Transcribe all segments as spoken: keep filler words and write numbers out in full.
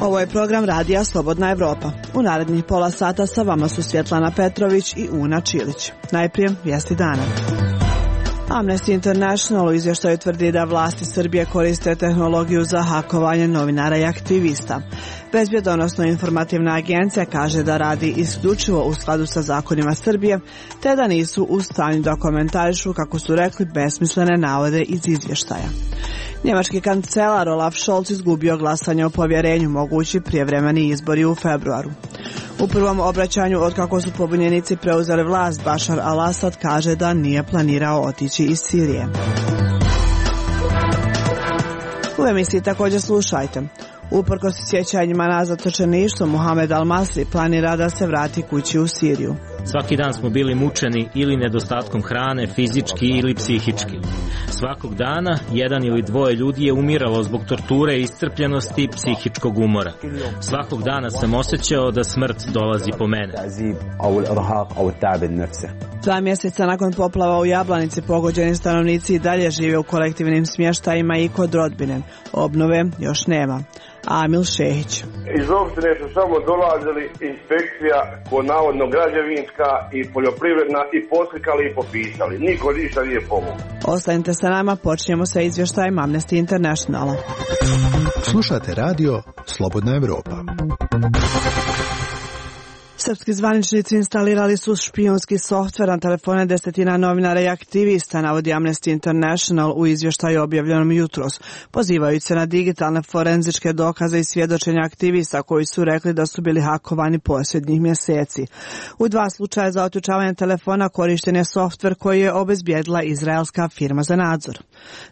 Ovo je program radija Slobodna Evropa. U narednih pola sata sa vama su Svjetlana Petrović i Una Čilić. Najprije vijesti dana. Amnesty International u izvještaju tvrdi da vlasti Srbije koriste tehnologiju za hakovanje novinara i aktivista. Bezbjedonosno-informativna agencija kaže da radi isključivo u skladu sa zakonima Srbije, te da nisu u stanju da komentarišu, kako su rekli, besmislene navode iz izvještaja. Njemački kancelar Olaf Scholz izgubio glasanje o povjerenju, mogući prijevremeni izbori u februaru. U prvom obraćanju od kako su pobunjenici preuzeli vlast, Bashar al-Assad kaže da nije planirao otići iz Sirije. U emisiji također slušajte. Uprkos sjećanjima na zatočeništvo, Mohamed Al-Masri planira da se vrati kući u Siriju. Svaki dan smo bili mučeni ili nedostatkom hrane, fizički ili psihički. Svakog dana jedan ili dvoje ljudi je umiralo zbog torture, iscrpljenosti i psihičkog umora. Svakog dana sam osjećao da smrt dolazi po mene. Dva mjeseca nakon poplava u Jablanici, pogođeni stanovnici i dalje žive u kolektivnim smještajima i kod rodbine. Obnove još nema. Amil Šehić. Iz opštine su samo dolazili inspekcija, ko navodno građevinska i poljoprivredna, i poslikali i popisali. Niko ništa nije pomogao. Ostanite sa nama, počinjemo sa izvještajem Amnesty Internationala. Slušate radio Slobodna Evropa. Srpski zvaničnici instalirali su špijunski softver na telefone desetina novinara i aktivista, navodi Amnesty International u izvještaju objavljenom jutros, pozivajući se na digitalne forenzičke dokaze i svjedočenja aktivista koji su rekli da su bili hakovani posljednjih mjeseci. U dva slučaja za otključavanje telefona korišten je softver koji je obezbijedila izraelska firma za nadzor.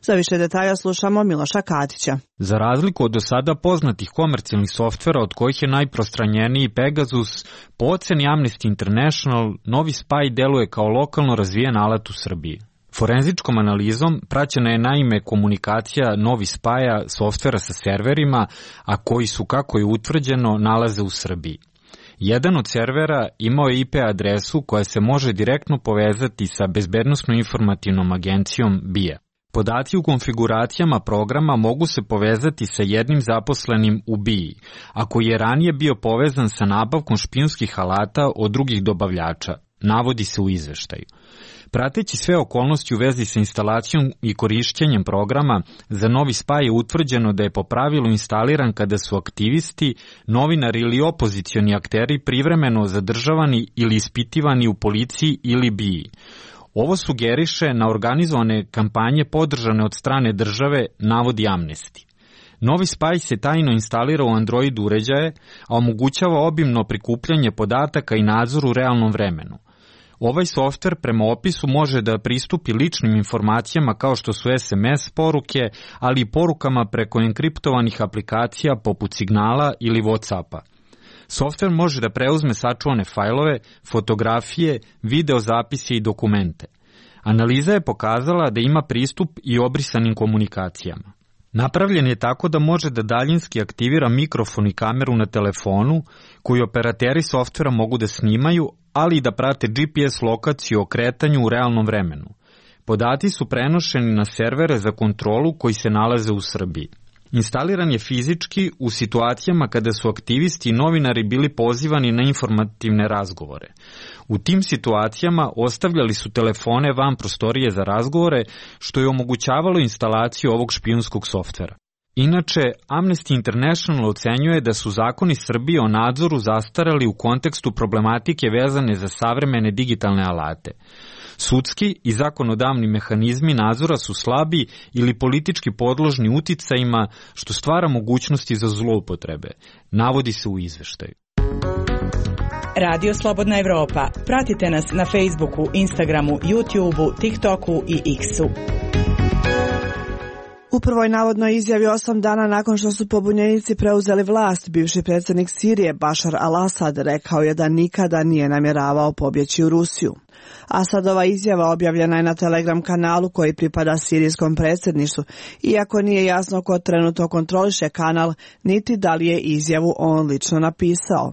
Za više detalja slušamo Miloša Katića. Za razliku od do sada poznatih komercijalnih softvera, od kojih je najprostranjeniji Pegasus, po oceni Amnesty International, novi spaj deluje kao lokalno razvijen alat u Srbiji. Forenzičkom analizom praćena je naime komunikacija novi spaja softvera sa serverima, a koji su, kako je utvrđeno, nalaze u Srbiji. Jedan od servera imao je I P adresu koja se može direktno povezati sa bezbednosno-informativnom agencijom B I A. Podaci u konfiguracijama programa mogu se povezati sa jednim zaposlenim u B I A, a koji je ranije bio povezan sa nabavkom špijunskih alata od drugih dobavljača, navodi se u izveštaju. Prateći sve okolnosti u vezi sa instalacijom i korišćenjem programa, za novi spaj je utvrđeno da je po pravilu instaliran kada su aktivisti, novinari ili opozicioni akteri privremeno zadržavani ili ispitivani u policiji ili B I A. Ovo sugeriše na organizovane kampanje podržane od strane države, navodi Amnesty. Novi spaj se tajno instalira u Android uređaje, a omogućava obimno prikupljanje podataka i nadzor u realnom vremenu. Ovaj softver prema opisu može da pristupi ličnim informacijama kao što su S M S poruke, ali i porukama preko enkriptovanih aplikacija poput Signala ili WhatsAppa. Softver može da preuzme sačuvane fajlove, fotografije, videozapise i dokumente. Analiza je pokazala da ima pristup i obrisanim komunikacijama. Napravljen je tako da može da daljinski aktivira mikrofon i kameru na telefonu, koji operateri softvera mogu da snimaju, ali i da prate G P S lokaciju o kretanju u realnom vremenu. Podaci su prenošeni na servere za kontrolu koji se nalaze u Srbiji. Instaliran je fizički u situacijama kada su aktivisti i novinari bili pozivani na informativne razgovore. U tim situacijama ostavljali su telefone van prostorije za razgovore, što je omogućavalo instalaciju ovog špijunskog softvera. Inače, Amnesty International ocenjuje da su zakoni Srbije o nadzoru zastarali u kontekstu problematike vezane za savremene digitalne alate. Sudski i zakonodavni mehanizmi nadzora su slabi ili politički podložni uticajima, što stvara mogućnosti za zloupotrebe, navodi se u izveštaju. Radio Slobodna Evropa. Pratite nas na Facebooku, Instagramu, YouTubeu, TikToku i X-u. U prvoj navodnoj izjavi osam dana nakon što su pobunjenici preuzeli vlast, bivši predsjednik Sirije Bashar al-Assad rekao je da nikada nije namjeravao pobjeći u Rusiju. Asadova izjava objavljena je na Telegram kanalu koji pripada sirijskom predsjedništvu, iako nije jasno ko trenutno kontroliše kanal, niti da li je izjavu on lično napisao.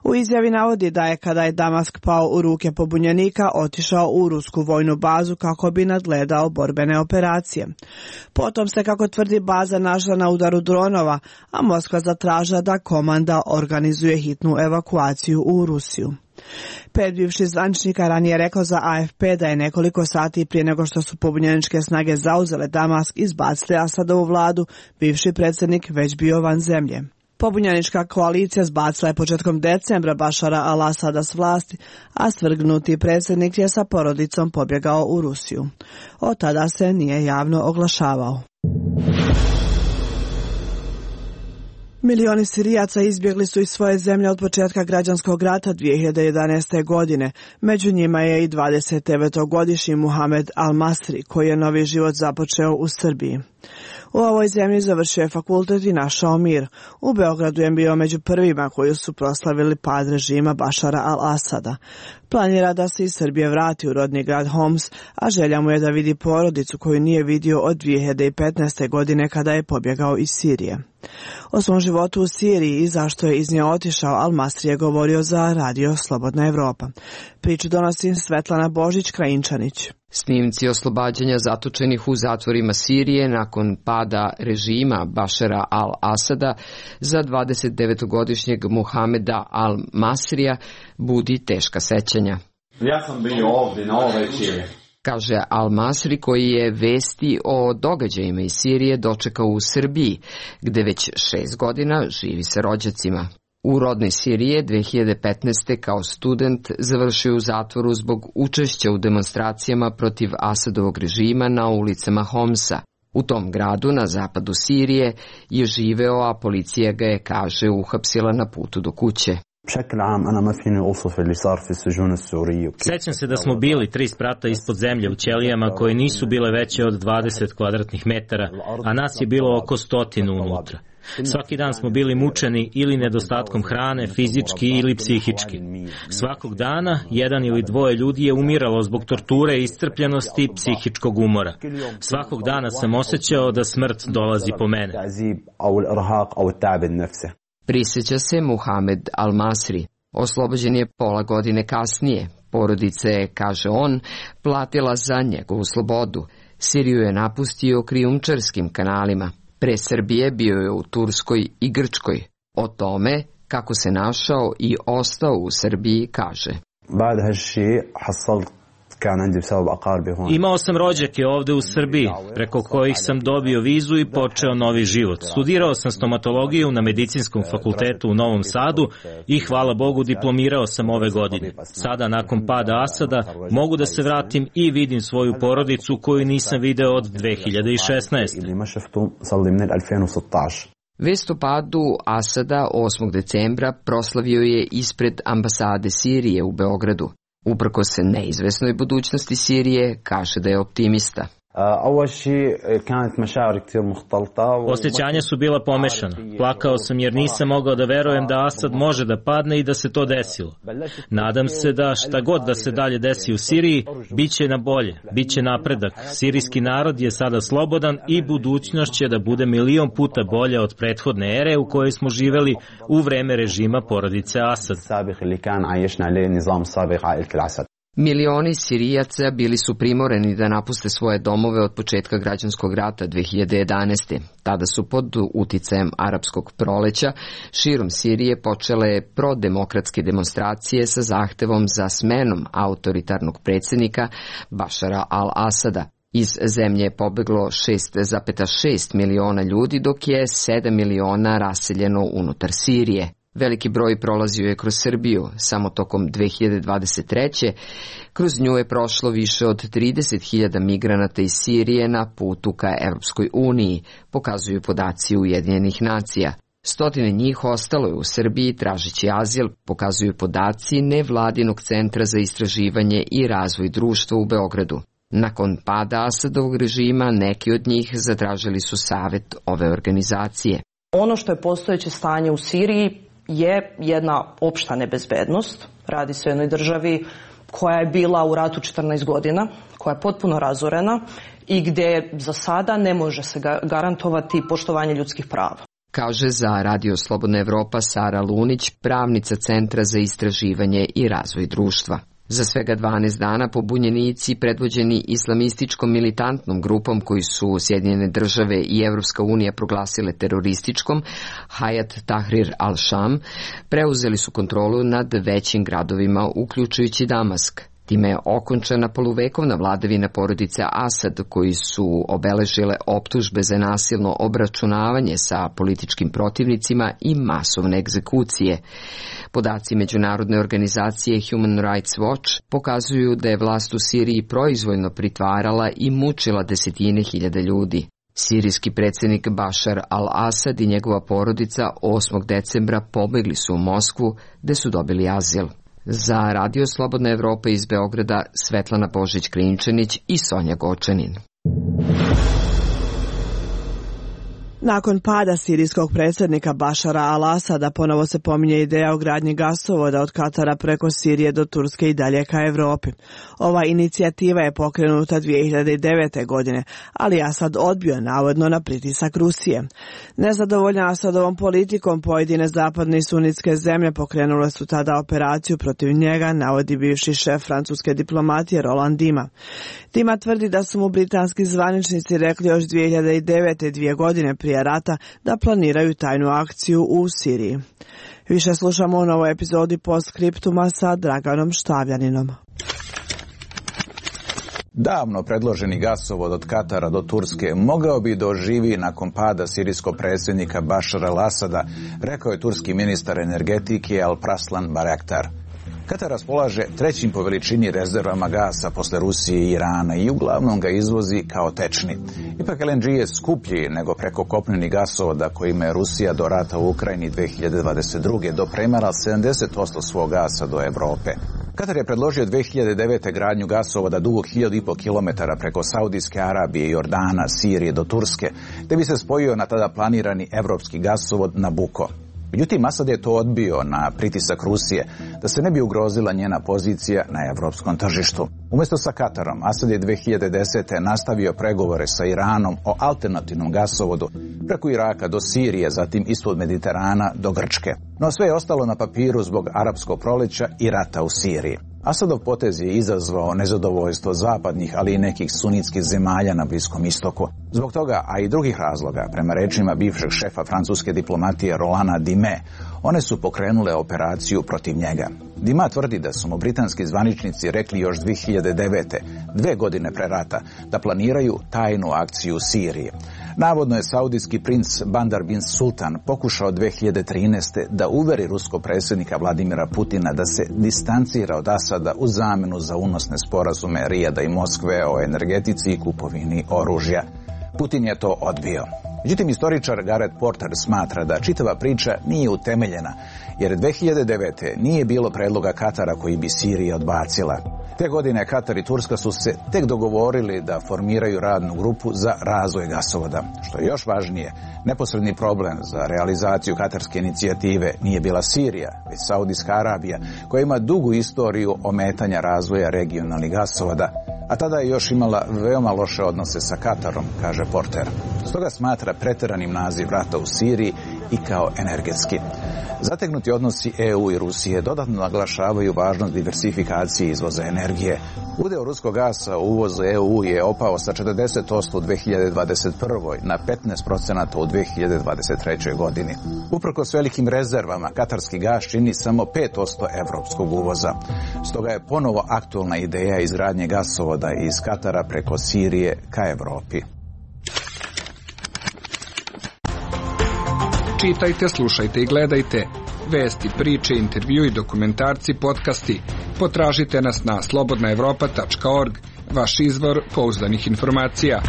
U izjavi navodi da je kada je Damask pao u ruke pobunjenika otišao u rusku vojnu bazu kako bi nadgledao borbene operacije. Potom se, kako tvrdi, baza našla na udaru dronova, a Moskva zatražila da komanda organizuje hitnu evakuaciju u Rusiju. Pet bivših zvaničnika ranije rekao za A F P da je nekoliko sati prije nego što su pobunjeničke snage zauzele Damask i izbacile Asadovu vladu, bivši predsjednik već bio van zemlje. Pobunjenička koalicija zbacila je početkom decembra Bašara al-Asada s vlasti, a svrgnuti predsjednik je sa porodicom pobjegao u Rusiju. Od tada se nije javno oglašavao. Milioni Sirijaca izbjegli su iz svoje zemlje od početka građanskog rata dvije hiljade jedanaeste. godine. Među njima je i dvadesetdevetogodišnji Muhamed al-Masri, koji je novi život započeo u Srbiji. U ovoj zemlji završio je fakultet i našao mir. U Beogradu je bio među prvima koji su proslavili pad režima Bašara al-Asada. Planira da se iz Srbije vrati u rodni grad Homs, a želja mu je da vidi porodicu koju nije vidio od dvije hiljade petnaeste. godine kada je pobjegao iz Sirije. O svom životu u Siriji i zašto je iz nje otišao, al-Masri je govorio za Radio Slobodna Evropa. Priču donosi Svetlana Božić-Krajinčanić. Snimci oslobađanja zatočenih u zatvorima Sirije nakon pada režima Bašara al-Asada za dvadesetdevetogodišnjeg Muhameda al-Masrija budi teška sećanja. Ja sam bio ovdje na ovoj večeri, kaže al-Masri, koji je vesti o događajima iz Sirije dočekao u Srbiji, gde već šest godina živi sa rođacima. U rodnoj Sirije dvije hiljade petnaeste. kao student završio u zatvoru zbog učešća u demonstracijama protiv Asadovog režima na ulicama Homsa. U tom gradu na zapadu Sirije je živeo, a policija ga je, kaže, uhapsila na putu do kuće. Sećam se da smo bili tri sprata ispod zemlje u ćelijama koje nisu bile veće od dvadeset kvadratnih metara, a nas je bilo oko stotinu unutra. Svaki dan smo bili mučeni ili nedostatkom hrane, fizički ili psihički. Svakog dana jedan ili dvoje ljudi je umiralo zbog torture, iscrpljenosti i psihičkog umora. Svakog dana sam osjećao da smrt dolazi po mene. Prisjeća se Muhamed al-Masri. Oslobođen je pola godine kasnije. Porodica je, kaže on, platila za njegovu slobodu. Siriju je napustio krijumčarskim kanalima. Pre Srbije bio je u Turskoj i Grčkoj. O tome kako se našao i ostao u Srbiji, kaže. Imao sam rođake ovde u Srbiji, preko kojih sam dobio vizu i počeo novi život. Studirao sam stomatologiju na Medicinskom fakultetu u Novom Sadu i, hvala Bogu, diplomirao sam ove godine. Sada, nakon pada Asada, mogu da se vratim i vidim svoju porodicu koju nisam video od dve hiljade šesnaeste. Vest o padu Asada osmog decembra proslavio je ispred ambasade Sirije u Beogradu. Uprkos se neizvesnoj budućnosti Sirije, kaže da je optimista. Osjećanja su bila pomešana. Plakao sam jer nisam mogao da verujem da Asad može da padne i da se to desilo. Nadam se da šta god da se dalje desi u Siriji, bit će na bolje, bit će napredak. Sirijski narod je sada slobodan i budućnost će da bude milion puta bolja od prethodne ere u kojoj smo živeli u vreme režima porodice Asad. Milioni Sirijaca bili su primorani da napuste svoje domove od početka građanskog rata dve hiljade jedanaeste. Tada su pod uticajem arapskog proleća širom Sirije počele prodemokratske demonstracije sa zahtevom za smenom autoritarnog predsjednika Bašara al-Asada. Iz zemlje je pobeglo šest zarez šest miliona ljudi, dok je sedam miliona raseljeno unutar Sirije. Veliki broj prolazio je kroz Srbiju. Samo tokom dve hiljade dvadeset treće. kroz nju je prošlo više od trideset hiljada migranata iz Sirije na putu ka Evropskoj uniji, pokazuju podaci Ujedinjenih nacija. Stotine njih ostalo je u Srbiji tražeći azil, pokazuju podaci nevladinog centra za istraživanje i razvoj društva u Beogradu. Nakon pada Asadovog režima, neki od njih zatražili su savjet ove organizacije. Ono što je postojeće stanje u Siriji je jedna opšta nebezbednost. Radi se o jednoj državi koja je bila u ratu četrnaest godina, koja je potpuno razorena i gdje za sada ne može se garantovati poštovanje ljudskih prava. kaže za Radio Slobodna Evropa Sara Lunić, pravnica Centra za istraživanje i razvoj društva. Za svega dvanaest dana pobunjenici predvođeni islamističkom militantnom grupom koji su Sjedinjene države i Evropska unija proglasile terorističkom, Hayat Tahrir al-Sham, preuzeli su kontrolu nad većim gradovima, uključujući Damask. Time je okončana poluvekovna vladavina porodice Asad, koji su obeležile optužbe za nasilno obračunavanje sa političkim protivnicima i masovne egzekucije. Podaci međunarodne organizacije Human Rights Watch pokazuju da je vlast u Siriji proizvoljno pritvarala i mučila desetine hiljada ljudi. Sirijski predsjednik Bašar al-Asad i njegova porodica osmog decembra pobegli su u Moskvu, gde su dobili azil. Za Radio Slobodna Evropa iz Beograda Svetlana Božić-Krinčanić i Sonja Gočanin. Nakon pada sirijskog predsjednika Bašara al-Asada ponovo se pominje ideja o gradnji gasovoda od Katara preko Sirije do Turske i dalje ka Evropi. Ova inicijativa je pokrenuta dvije hiljade devete. godine, ali Asad odbio navodno na pritisak Rusije. Nezadovoljna Asadovom politikom pojedine zapadne i sunitske zemlje pokrenule su tada operaciju protiv njega, navodi bivši šef francuske diplomatije Roland Dima. Dima tvrdi da su mu britanski zvaničnici rekli još dvije hiljade devete. dvije godine prije rata da planiraju tajnu akciju u Siriji. Više slušamo u novoj epizodi Postscriptuma sa Draganom Štavljaninom. Davno predloženi gasovod od Katara do Turske mogao bi doživi nakon pada sirijskog predsjednika Bašara al-Asada, rekao je turski ministar energetike Alparslan Bayraktar. Katar raspolaže trećim po veličini rezervama gasa posle Rusije i Irana i uglavnom ga izvozi kao tečni. Ipak L N G je skuplji nego preko kopneni gasovoda kojima je Rusija do rata u Ukrajini dve hiljade dvadeset druge dopremala sedamdeset posto svog gasa do Evrope. Katar je predložio dve hiljade devete. gradnju gasovoda dugog hiljadu i po kilometara preko Saudijske Arabije, Jordana, Sirije do Turske, te bi se spojio na tada planirani evropski gasovod Nabucco. Međutim, Asad je to odbio na pritisak Rusije da se ne bi ugrozila njena pozicija na evropskom tržištu. Umjesto sa Katarom, Asad je dve hiljade desete. nastavio pregovore sa Iranom o alternativnom gasovodu preko Iraka do Sirije, zatim ispod Mediterana do Grčke. No sve je ostalo na papiru zbog arapskog proleća i rata u Siriji. Asadov potez je izazvao nezadovoljstvo zapadnih, ali i nekih sunitskih zemalja na Bliskom istoku. Zbog toga, a i drugih razloga, prema rečima bivšeg šefa francuske diplomatije Rolanda Dime, one su pokrenule operaciju protiv njega. Dima tvrdi da su mu britanski zvaničnici rekli još dve hiljade devete. dve godine pre rata, da planiraju tajnu akciju u Siriji. Navodno je saudijski princ Bandar bin Sultan pokušao dve hiljade trinaeste. da uveri ruskog predsjednika Vladimira Putina da se distancira od Asada u zamenu za unosne sporazume Rijada i Moskve o energetici i kupovini oružja. Putin je to odbio. Međutim, istoričar Gareth Porter smatra da čitava priča nije utemeljena, jer dve hiljade devete. nije bilo predloga Katara koji bi Sirija odbacila. Te godine Katar i Turska su se tek dogovorili da formiraju radnu grupu za razvoj gasovoda. Što je još važnije, neposredni problem za realizaciju katarske inicijative nije bila Sirija, već Saudijska Arabija, koja ima dugu istoriju ometanja razvoja regionalnih gasovoda, a tada je još imala veoma loše odnose sa Katarom, kaže Porter. Stoga smatra preteranim naziv rata u Siriji i kao energetski. Zategnuti odnosi E U i Rusije dodatno naglašavaju važnost diversifikacije izvoza energije. Udeo ruskog gasa u uvozu E U je opao sa četrdeset posto u dve hiljade dvadeset prvoj. na petnaest posto u dve hiljade dvadeset trećoj. godini. Uprkos velikim rezervama, katarski gas čini samo pet posto evropskog uvoza. Stoga je ponovo aktualna ideja izgradnje gasovoda iz Katara preko Sirije ka Evropi. Čitajte, slušajte i gledajte vesti, priče, intervju i dokumentarci, podcasti. Potražite nas na slobodna evropa tačka org, vaš izvor pouzdanih informacija.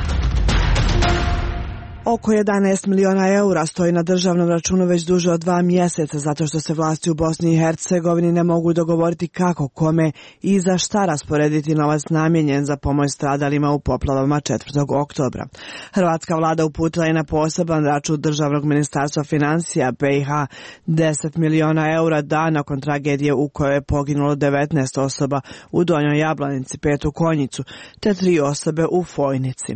Oko jedanaest miliona eura stoji na državnom računu već duže od dva mjeseca zato što se vlasti u Bosni i Hercegovini ne mogu dogovoriti kako, kome i za šta rasporediti novac namijenjen za pomoć stradalima u poplavama četvrtog oktobra. Hrvatska vlada uputila je na poseban račun državnog ministarstva financija B i H deset miliona eura dan nakon tragedije u kojoj je poginulo devetnaest osoba u Donjoj Jablanici, pet u Konjicu, te tri osobe u Fojnici.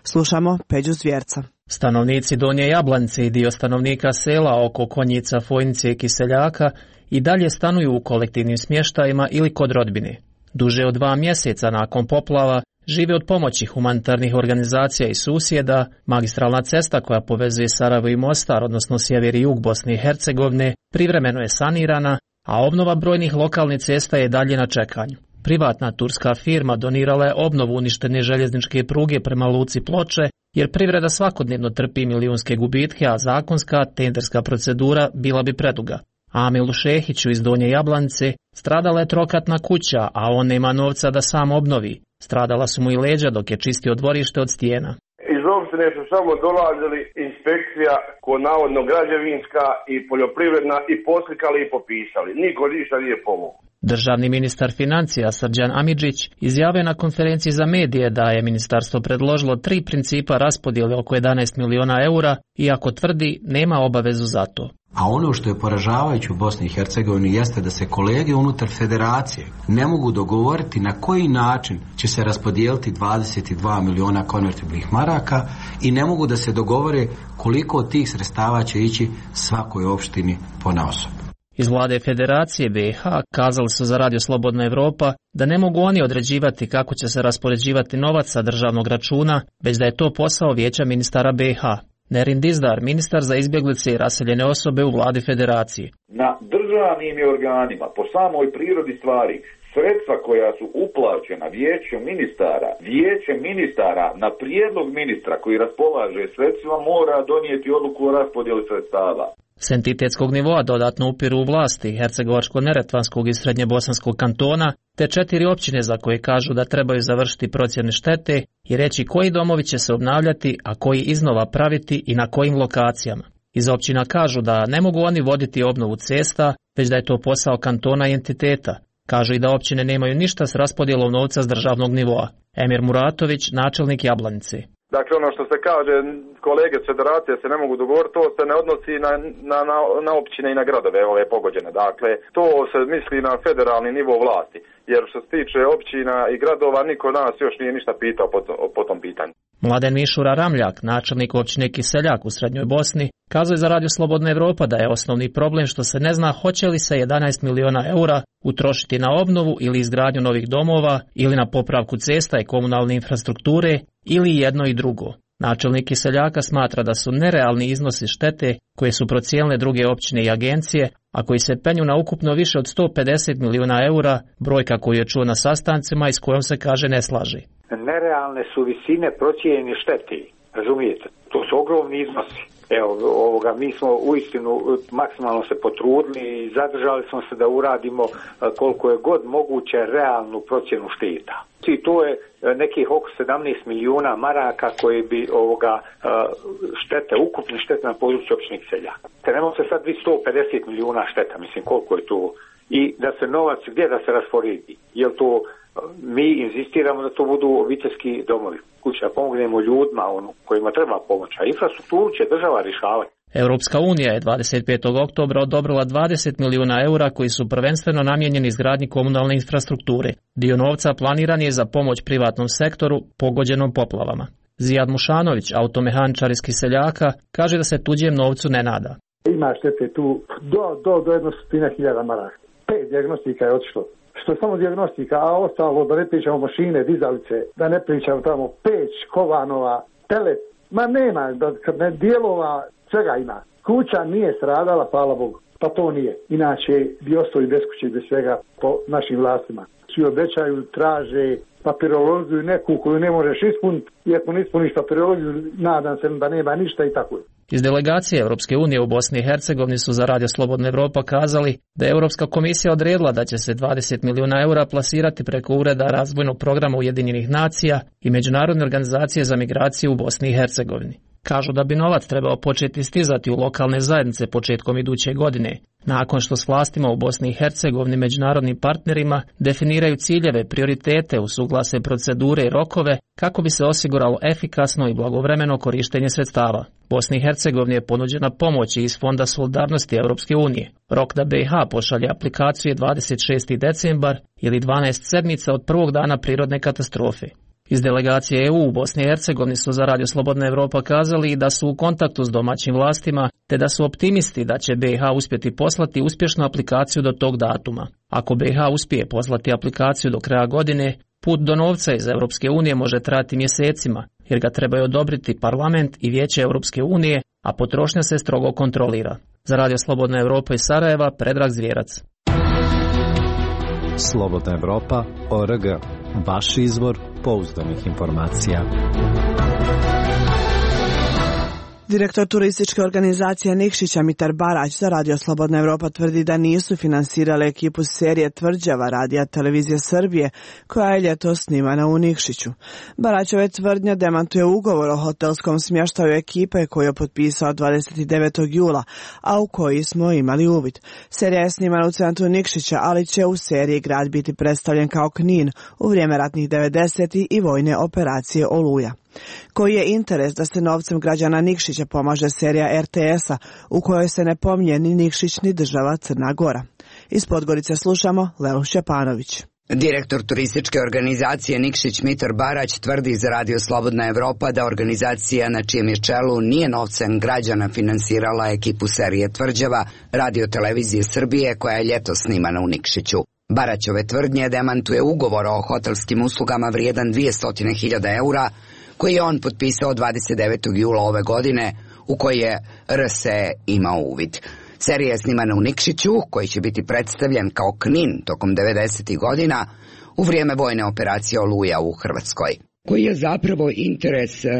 Slušamo Peđu Zvjerca. Stanovnici Donje Jablanice i dio stanovnika sela oko Konjica, Fojnice i Kiseljaka i dalje stanuju u kolektivnim smještajima ili kod rodbine. Duže od dva mjeseca nakon poplava žive od pomoći humanitarnih organizacija i susjeda. Magistralna cesta koja povezuje Sarajevo i Mostar, odnosno sjever i jug Bosne i Hercegovine, privremeno je sanirana, a obnova brojnih lokalnih cesta je dalje na čekanju. Privatna turska firma donirala je obnovu uništene željezničke pruge prema luci Ploče, jer privreda svakodnevno trpi milijunske gubitke, a zakonska tenderska procedura bila bi preduga. Amilu Šehiću iz Donje Jablanice stradala je trokatna kuća, a on nema novca da sam obnovi. Stradala su mu i leđa dok je čistio dvorište od stijena. Iz opštine su samo dolazili inspekcija ko navodno građevinska i poljoprivredna i poslikali i popisali. Niko ništa nije pomogao. Državni ministar financija Srđan Amidžić izjavio na konferenciji za medije da je ministarstvo predložilo tri principa raspodjele oko jedanaest miliona eura, iako tvrdi nema obavezu za to. A ono što je poražavajuće u Bosni i Hercegovini jeste da se kolege unutar federacije ne mogu dogovoriti na koji način će se raspodijeliti dvadeset dva miliona konvertibilnih maraka i ne mogu da se dogovore koliko od tih sredstava će ići svakoj opštini ponaosob. Iz vlade Federacije B i H kazali su za Radio Slobodna Evropa da ne mogu oni određivati kako će se raspoređivati novac sa državnog računa, već da je to posao vijeća ministara B i H. Nerin Dizdar, ministar za izbjeglice i raseljene osobe u vladi Federacije. Na državnim organima, po samoj prirodi stvari, sredstva koja su uplaćena vijeću ministara, vijeće ministara na prijedlog ministra koji raspolaže sredstvima mora donijeti odluku o raspodjeli sredstava. S entitetskog nivoa dodatno upiru u vlasti Hercegovačko-Neretvanskog i Srednjebosanskog kantona, te četiri općine za koje kažu da trebaju završiti procjene štete i reći koji domovi će se obnavljati, a koji iznova praviti i na kojim lokacijama. Iz općina kažu da ne mogu oni voditi obnovu cesta, već da je to posao kantona i entiteta. Kažu i da općine nemaju ništa s raspodjelom novca s državnog nivoa. Emir Muratović, načelnik Jablanice. Dakle, ono što se kaže, kolege s federacije se ne mogu dogovoriti, to se ne odnosi na, na, na, na općine i na gradove ove pogođene. Dakle, to se misli na federalni nivo vlasti, jer što se tiče općina i gradova, niko nas još nije ništa pitao po, po tom pitanju. Mladen Mišura Ramljak, načelnik općine Kiseljak u Srednjoj Bosni, kazuje za Radio Slobodna Evropa da je osnovni problem što se ne zna hoće li se jedanaest miliona eura utrošiti na obnovu ili izgradnju novih domova ili na popravku cesta i komunalne infrastrukture ili jedno i drugo. Načelnik Kiseljaka smatra da su nerealni iznosi štete koje su procijenile druge općine i agencije, a koji se penju na ukupno više od sto pedeset miliona eura, brojka koju je čuo na sastancima i s kojom se kaže ne slaži. Nerealne su visine procijenjene štete, razumijete? To su ogromni iznosi. Evo, ovoga, mi smo uistinu maksimalno se potrudili i zadržali smo se da uradimo koliko je god moguće realnu procjenu šteta. I to je nekih oko sedamnaest milijuna maraka koje bi ovoga štete, ukupne štete na području općine Kiseljak. Trenemo se sad sto pedeset milijuna šteta, mislim koliko je to. I da se novac, gdje da se rasporedi? Jel to mi insistiramo da to budu obiteljski domovi, kuća, pomognemo ljudima ono, kojima treba pomoć, a infrastrukturu će država rješavati. Europska unija je dvadeset petog oktobra odobrila dvadeset milijuna eura koji su prvenstveno namijenjeni izgradnji komunalne infrastrukture. Dio novca planiran je za pomoć privatnom sektoru pogođenom poplavama. Zijad Mušanović, automehaničar iz Kiseljaka, kaže da se tuđem novcu ne nada. Ima štete tu do, do, do jednostotina hiljada maraka. Pet dijagnostika je otišlo. Što je samo dijagnostika, a ostalo da ne pričamo mašine, dizalice, da ne pričamo tamo peć, kovanova, pelet, ma nema, da ne dijelova, svega ima. Kuća nije stradala, hvala Bogu, pa to nije. Inače bi ostali bez kuće, bez svega po našim vlastima. Svi obećaju, traže papirologiju neku koju ne možeš ispuniti, i ako ne ispuniš papirologiju, nadam se da nema ništa i tako je. Iz delegacije Europske unije u Bosni i Hercegovini su za Radio Slobodna Evropa kazali da je Europska komisija odredila da će se dvadeset milijuna eura plasirati preko Ureda razvojnog programa Ujedinjenih nacija i Međunarodne organizacije za migraciju u Bosni i Hercegovini. Kažu da bi novac trebao početi stizati u lokalne zajednice početkom iduće godine, nakon što s vlastima u Bosni i Hercegovini međunarodnim partnerima definiraju ciljeve, prioritete, usuglase procedure i rokove kako bi se osiguralo efikasno i blagovremeno korištenje sredstava. Bosni i Hercegovini je ponuđena pomoć iz Fonda solidarnosti Europske unije. Rok da B i H pošalje aplikaciju je dvadeset šesti decembar ili dvanaest sedmica od prvog dana prirodne katastrofe. Iz delegacije E U u Bosni i Hercegovini su za Radio Slobodna Evropa kazali da su u kontaktu s domaćim vlastima, te da su optimisti da će B i H uspjeti poslati uspješnu aplikaciju do tog datuma. Ako B i H uspije poslati aplikaciju do kraja godine, put do novca iz Europske unije može trajati mjesecima, jer ga trebaju odobriti Parlament i Vijeće Europske unije, a potrošnja se strogo kontrolira. Za Radio Slobodna Evropa iz Sarajeva, Predrag Zvijerac. Slobodna Evropa, O R G, vaš izvor pouzdanih informacija. Direktor turističke organizacije Nikšića Mitar Barać za Radio Slobodna Evropa tvrdi da nisu finansirale ekipu serije Tvrđava Radija Televizije Srbije, koja je ljetos snimana u Nikšiću. Baraćove tvrdnja demantuje ugovor o hotelskom smještaju ekipe koju je potpisao dvadeset devetog jula, a u koji smo imali uvid. Serija je snimana u centru Nikšića, ali će u seriji grad biti predstavljen kao Knin u vrijeme ratnih devedesetih i vojne operacije Oluja. Koji je interes da se novcem građana Nikšića pomaže serija R T S-a u kojoj se ne pominje ni Nikšić ni država Crna Gora? Iz Podgorice slušamo Lelu Šćepanović. Direktor turističke organizacije Nikšić Mitar Barać tvrdi za Radio Slobodna Evropa da organizacija na čijem je čelu nije novcem građana finansirala ekipu serije Tvrđava Radio Televizije Srbije koja je ljetos snimana u Nikšiću. Baraćove tvrdnje demantuje ugovor o hotelskim uslugama vrijedan dvjesto hiljada eura koji je on potpisao dvadeset devetog jula ove godine, u koji je R S E imao uvid. Serija je snimana u Nikšiću, koji će biti predstavljen kao Knin tokom devedesetih godina u vrijeme vojne operacije Oluja u Hrvatskoj. Koji je zapravo interes uh,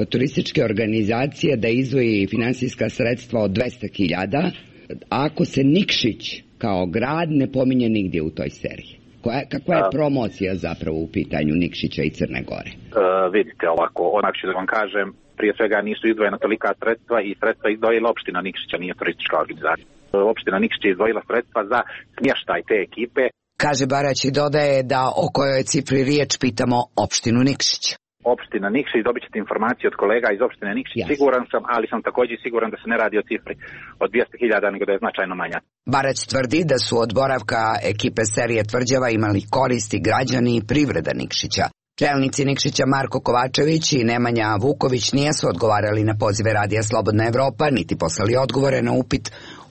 turističke organizacije da izdvoji finansijska sredstva od dvjesto hiljada, ako se Nikšić kao grad ne pominje nigdje u toj seriji? Koja, kakva je promocija zapravo u pitanju Nikšića i Crne Gore? Uh, vidite ovako, onak ću da vam kažem, prije svega nisu izdvojena tolika sredstva i sredstva izdvojila opština Nikšića, nije turistička organizacija. Opština Nikšić je izdvojila sredstva za smještaj te ekipe. Kaže Barać i dodaje da o kojoj cifri riječ pitamo opštinu Nikšić. Opština Nikšić, dobit ćete informacije od kolega iz opštine Nikšić, yes. Siguran sam, ali sam također siguran da se ne radi o cifri od dvjesto hiljada, nego da je značajno manja. Barać tvrdi da su od boravka ekipe serije Tvrđava imali koristi građani i privreda Nikšića. Čelnici Nikšića Marko Kovačević i Nemanja Vuković nijesu odgovarali na pozive Radija Slobodna Evropa, niti poslali odgovore na upit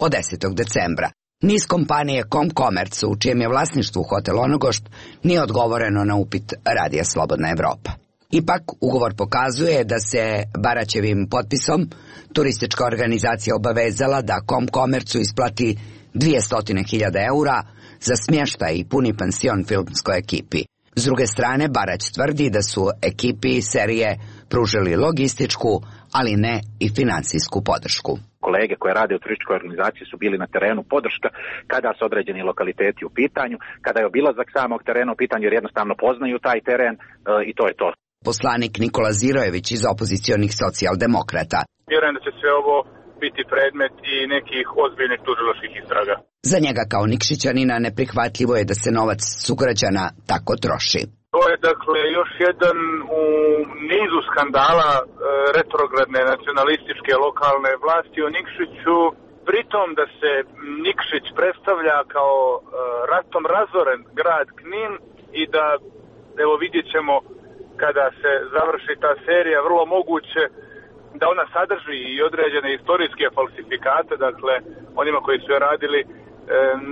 od desetog decembra. Ni iz kompanije Komkomerc, u čijem je vlasništvu hotel Onogošt, nije odgovoreno na upit Radija Slobodna Evropa. Ipak, ugovor pokazuje da se Baraćevim potpisom turistička organizacija obavezala da Komkomercu isplati dvjesto hiljada eura za smještaj i puni pansion filmskoj ekipi. S druge strane, Barać tvrdi da su ekipi serije pružili logističku, ali ne i finansijsku podršku. Kolege koje rade u turističkoj organizaciji su bili na terenu podrška kada su određeni lokaliteti u pitanju, kada je obilazak samog terena u pitanju jer jednostavno poznaju taj teren e, i to je to. Poslanik Nikola Zirojević iz opozicionih socijaldemokrata. Vjerujem da će sve ovo biti predmet i nekih ozbiljnih tužilačkih istraga. Za njega kao Nikšićanina neprihvatljivo je da se novac sugrađana tako troši. To je dakle još jedan u nizu skandala e, retrogradne nacionalističke lokalne vlasti u Nikšiću, pritom da se Nikšić predstavlja kao e, ratom razoren grad Knin i da, evo vidjet ćemo kada se završi ta serija, vrlo moguće da ona sadrži i određene istorijske falsifikate, dakle onima koji su je radili e,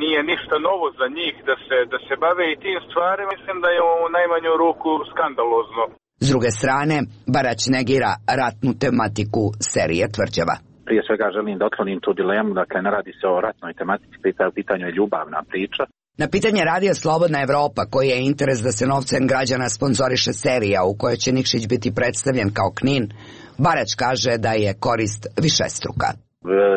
nije ništa novo za njih da se, da se bave i tim stvarima, mislim da je u najmanju ruku skandalozno. S druge strane, Barać negira ratnu tematiku serije Tvrđava. Prije svega želim da otklonim tu dilemu, dakle ne radi se o ratnoj tematici, u pitanju je ljubavna priča. Na pitanje Radija Slobodna Evropa, koji je interes da se novcem građana sponzoriše serija u kojoj će Nikšić biti predstavljen kao Knin, Barać kaže da je korist višestruka.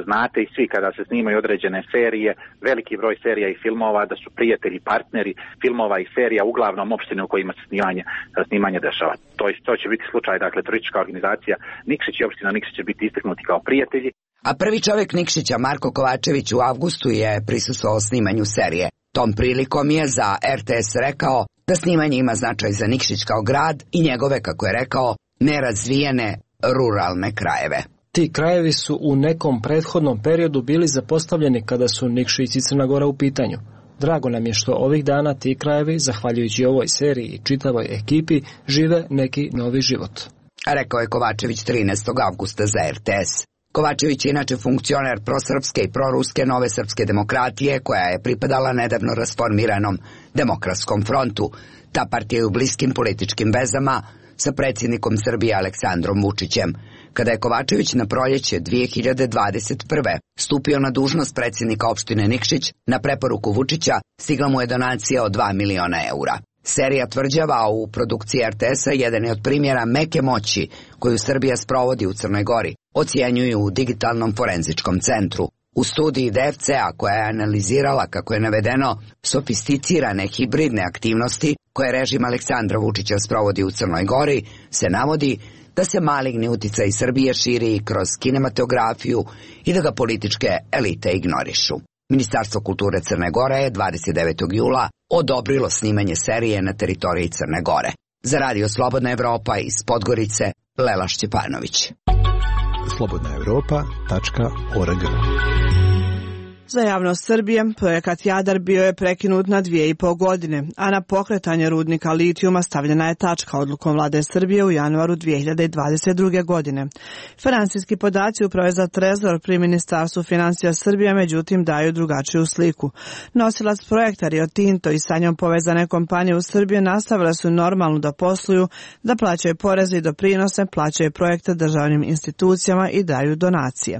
Znate i svi kada se snimaju određene serije, veliki broj serija i filmova, da su prijatelji, partneri filmova i serija uglavnom opštine u kojima se snimanje, snimanje dešava. To, to će biti slučaj, dakle, turistička organizacija Nikšić i opština Nikšić će biti istaknuti kao prijatelji. A prvi čovjek Nikšića, Marko Kovačević, u avgustu je prisustvovao snimanju serije. Tom prilikom je za R T S rekao da snimanje ima značaj za Nikšić kao grad i njegove, kako je rekao, nerazvijene ruralne krajeve. Ti krajevi su u nekom prethodnom periodu bili zapostavljeni kada su Nikšić i Crna Gora u pitanju. Drago nam je što ovih dana ti krajevi, zahvaljujući ovoj seriji i čitavoj ekipi, žive neki novi život. Rekao je Kovačević trinaestog avgusta za R T S. Kovačević je inače funkcioner prosrpske i proruske Nove srpske demokratije, koja je pripadala nedavno rasformiranom Demokratskom frontu. Ta partija je u bliskim političkim vezama sa predsjednikom Srbije Aleksandrom Vučićem. Kada je Kovačević na proljeće dvije hiljade dvadeset prve. stupio na dužnost predsjednika opštine Nikšić, na preporuku Vučića stigla mu je donacija od dva miliona eura. Serija Tvrđava u produkciji R T S-a jedan je od primjera meke moći koju Srbija sprovodi u Crnoj Gori, ocjenjuju u Digitalnom forenzičkom centru. U studiji D F C-a, koja je analizirala, kako je navedeno, sofisticirane hibridne aktivnosti koje režim Aleksandra Vučića sprovodi u Crnoj Gori, se navodi da se maligni uticaj Srbije širi kroz kinematografiju i da ga političke elite ignorišu. Ministarstvo kulture Crne Gore je dvadeset devetog jula odobrilo snimanje serije na teritoriji Crne Gore. Za Radio Slobodna Evropa iz Podgorice, Lela Šćepanović. slobodna evropa tačka org. Za javnost Srbije, projekat Jadar bio je prekinut na dvije i pol godine, a na pokretanje rudnika litijuma stavljena je tačka odlukom vlade Srbije u januaru dvije hiljade dvadeset druge. godine. Finansijski podaci Uprave za trezor pri Ministarstvu financija Srbije međutim daju drugačiju sliku. Nosilac projekta Rio Tinto i sa njom povezane kompanije u Srbiji nastavile su normalno da posluju, da plaćaju poreze i doprinose, plaćaju projekte državnim institucijama i daju donacije.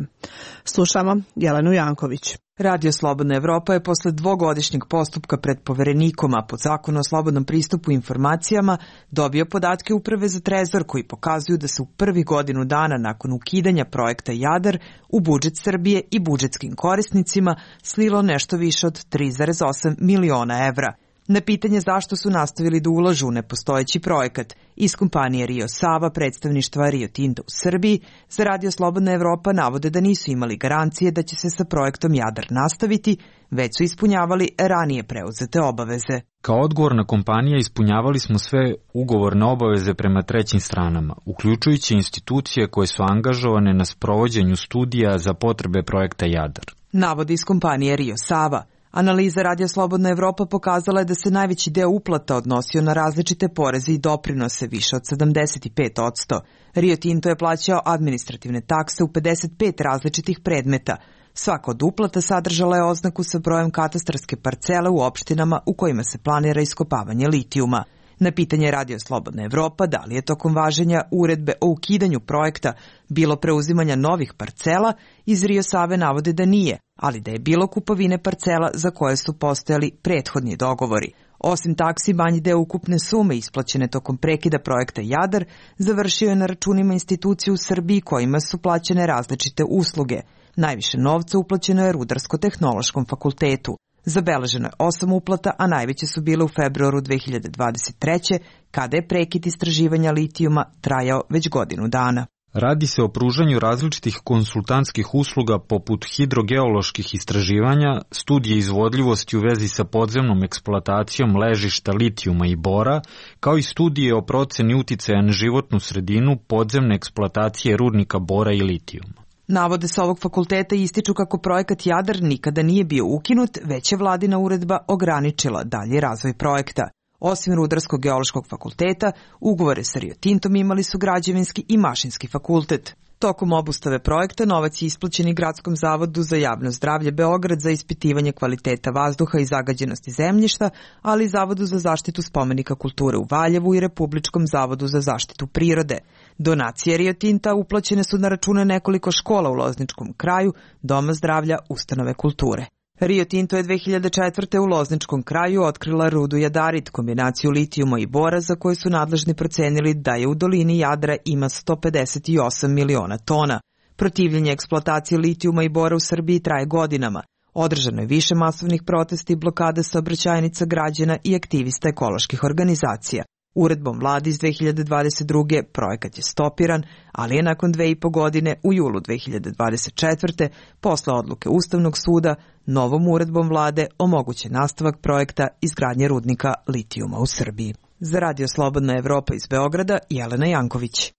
Slušamo Jelenu Janković. Radio Slobodna Evropa je posle dvogodišnjeg postupka pred poverenikom, a pod zakonu o slobodnom pristupu informacijama, dobio podatke Uprave za trezor koji pokazuju da se u prvi godinu dana nakon ukidanja projekta Jadar u budžet Srbije i budžetskim korisnicima slilo nešto više od tri zarez osam miliona evra. Na pitanje zašto su nastavili da ulažu u nepostojeći projekat, iz kompanije Rio Sava, predstavništva Rio Tinto u Srbiji, za Radio Slobodna Evropa navode da nisu imali garancije da će se sa projektom Jadar nastaviti, već su ispunjavali ranije preuzete obaveze. Kao odgovorna kompanija ispunjavali smo sve ugovorne obaveze prema trećim stranama, uključujući institucije koje su angažovane na sprovođenju studija za potrebe projekta Jadar. Navode iz kompanije Rio Sava. Analiza Radio Slobodna Evropa pokazala je da se najveći deo uplata odnosio na različite poreze i doprinose, više od sedamdeset pet posto. Rio Tinto je plaćao administrativne takse u pedeset pet različitih predmeta. Svaka od uplata sadržala je oznaku sa brojem katastarske parcele u opštinama u kojima se planira iskopavanje litijuma. Na pitanje Radio Slobodna Evropa da li je tokom važenja uredbe o ukidanju projekta bilo preuzimanja novih parcela, iz Rio Save navode da nije, ali da je bilo kupovine parcela za koje su postojali prethodni dogovori. Osim taksi, manji deo ukupne sume isplaćene tokom prekida projekta Jadar završio je na računima institucija u Srbiji kojima su plaćene različite usluge. Najviše novca uplaćeno je Rudarsko-tehnološkom fakultetu. Zabeleženo je osam uplata, a najveće su bile u februaru dve hiljade dvadeset treće. kada je prekid istraživanja litijuma trajao već godinu dana. Radi se o pružanju različitih konsultantskih usluga poput hidrogeoloških istraživanja, studije izvodljivosti u vezi sa podzemnom eksploatacijom ležišta litijuma i bora, kao i studije o proceni uticaja na životnu sredinu podzemne eksploatacije rudnika bora i litijuma. Navode sa ovog fakulteta ističu kako projekat Jadar nikada nije bio ukinut, već je vladina uredba ograničila dalji razvoj projekta. Osim Rudarsko-geološkog fakulteta, ugovore sa Rio Tintom imali su Građevinski i Mašinski fakultet. Tokom obustave projekta novac je isplaćen i Gradskom zavodu za javno zdravlje Beograd za ispitivanje kvaliteta vazduha i zagađenosti zemljišta, ali i Zavodu za zaštitu spomenika kulture u Valjevu i Republičkom zavodu za zaštitu prirode. Donacije Rio Tinta uplaćene su na račune nekoliko škola u Lozničkom kraju, Doma zdravlja, ustanove kulture. Rio Tinto je dve hiljade četvrte. u Lozničkom kraju otkrila rudu jadarit, kombinaciju litijuma i bora za koju su nadležni procenili da je u dolini Jadra ima sto pedeset osam miliona tona. Protivljenje eksploatacije litijuma i bora u Srbiji traje godinama. Održano je više masovnih protesta i blokade saobraćajnica građana i aktivista ekoloških organizacija. Uredbom vlade iz dve hiljade dvadeset druge. projekat je stopiran, ali je nakon dve i po godine u julu dve hiljade dvadeset četvrte. posle odluke Ustavnog suda novom uredbom vlade omogućen nastavak projekta izgradnje rudnika litijuma u Srbiji. Za Radio Slobodna Evropa iz Beograda, Jelena Janković.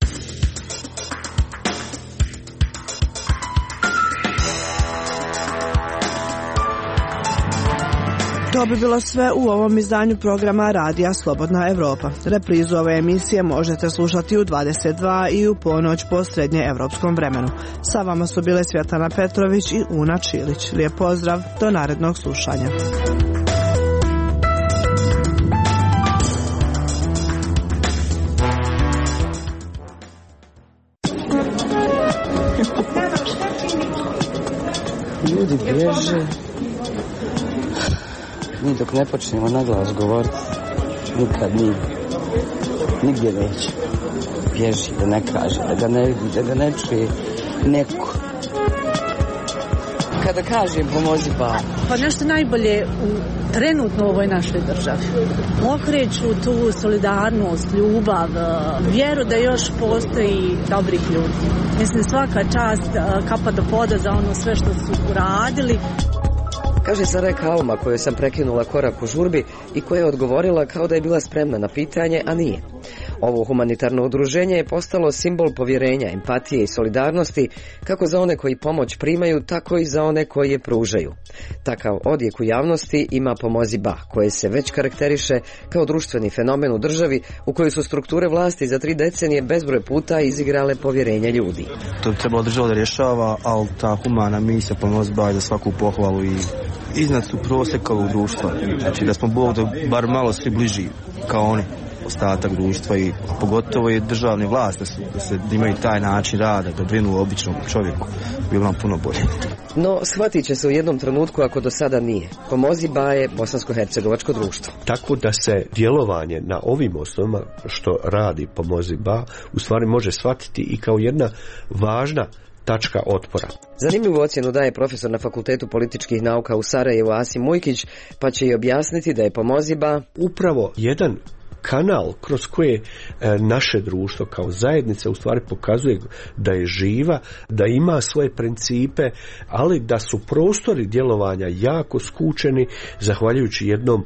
To bi bilo sve u ovom izdanju programa Radija Slobodna Evropa. Reprizu ove emisije možete slušati u dvadeset dva i u ponoć po srednjeevropskom vremenu. Sa vama su bile Svjetlana Petrović i Una Čilić. Lijep pozdrav, do narednog slušanja. Ljudi bježe. Mi dok ne počnemo na glas govoriti, nikad nije. Nigdje neće. Bježi, da ne kaže, da ga ne vidi, da ga ne čuje neko. Kada kažem pomozi ba. Pa nešto najbolje u trenutno u ovoj našoj državi. Okreću tu solidarnost, ljubav, vjeru da još postoji dobrih ljudi. Mislim, svaka čast, kapa do poda za ono sve što su uradili. Kaže Sarajka Alma, koju sam prekinula korak u žurbi i koja je odgovorila kao da je bila spremna na pitanje, a nije. Ovo humanitarno udruženje je postalo simbol povjerenja, empatije i solidarnosti kako za one koji pomoć primaju, tako i za one koji je pružaju. Takav odjek u javnosti ima Pomozi ba, koje se već karakteriše kao društveni fenomen u državi u kojoj su strukture vlasti za tri decenije bezbroj puta izigrale povjerenje ljudi. To bi trebalo država da rješava, ali ta humana misija Pomozi ba je za svaku pohvalu i iznad su prosjeka ovog društva. Znači da smo Bog da bar malo svi bliži kao oni, ostatak društva i pogotovo i državne vlasti, da, su, da se da imaju taj način rada, da brinu o običnom čovjeku, bilo nam puno bolje. No, shvatit će se u jednom trenutku ako do sada nije. Pomozi ba je bosansko-hercegovačko društvo. Tako da se djelovanje na ovim osnovama što radi Pomozi ba u stvari može shvatiti i kao jedna važna tačka otpora. Zanimljivu ocjenu daje profesor na Fakultetu političkih nauka u Sarajevu Asim Mujkić, pa će i objasniti da je Pomozi ba upravo jedan kanal kroz koje e, naše društvo kao zajednica u stvari pokazuje da je živa, da ima svoje principe, ali da su prostori djelovanja jako skučeni zahvaljujući jednom,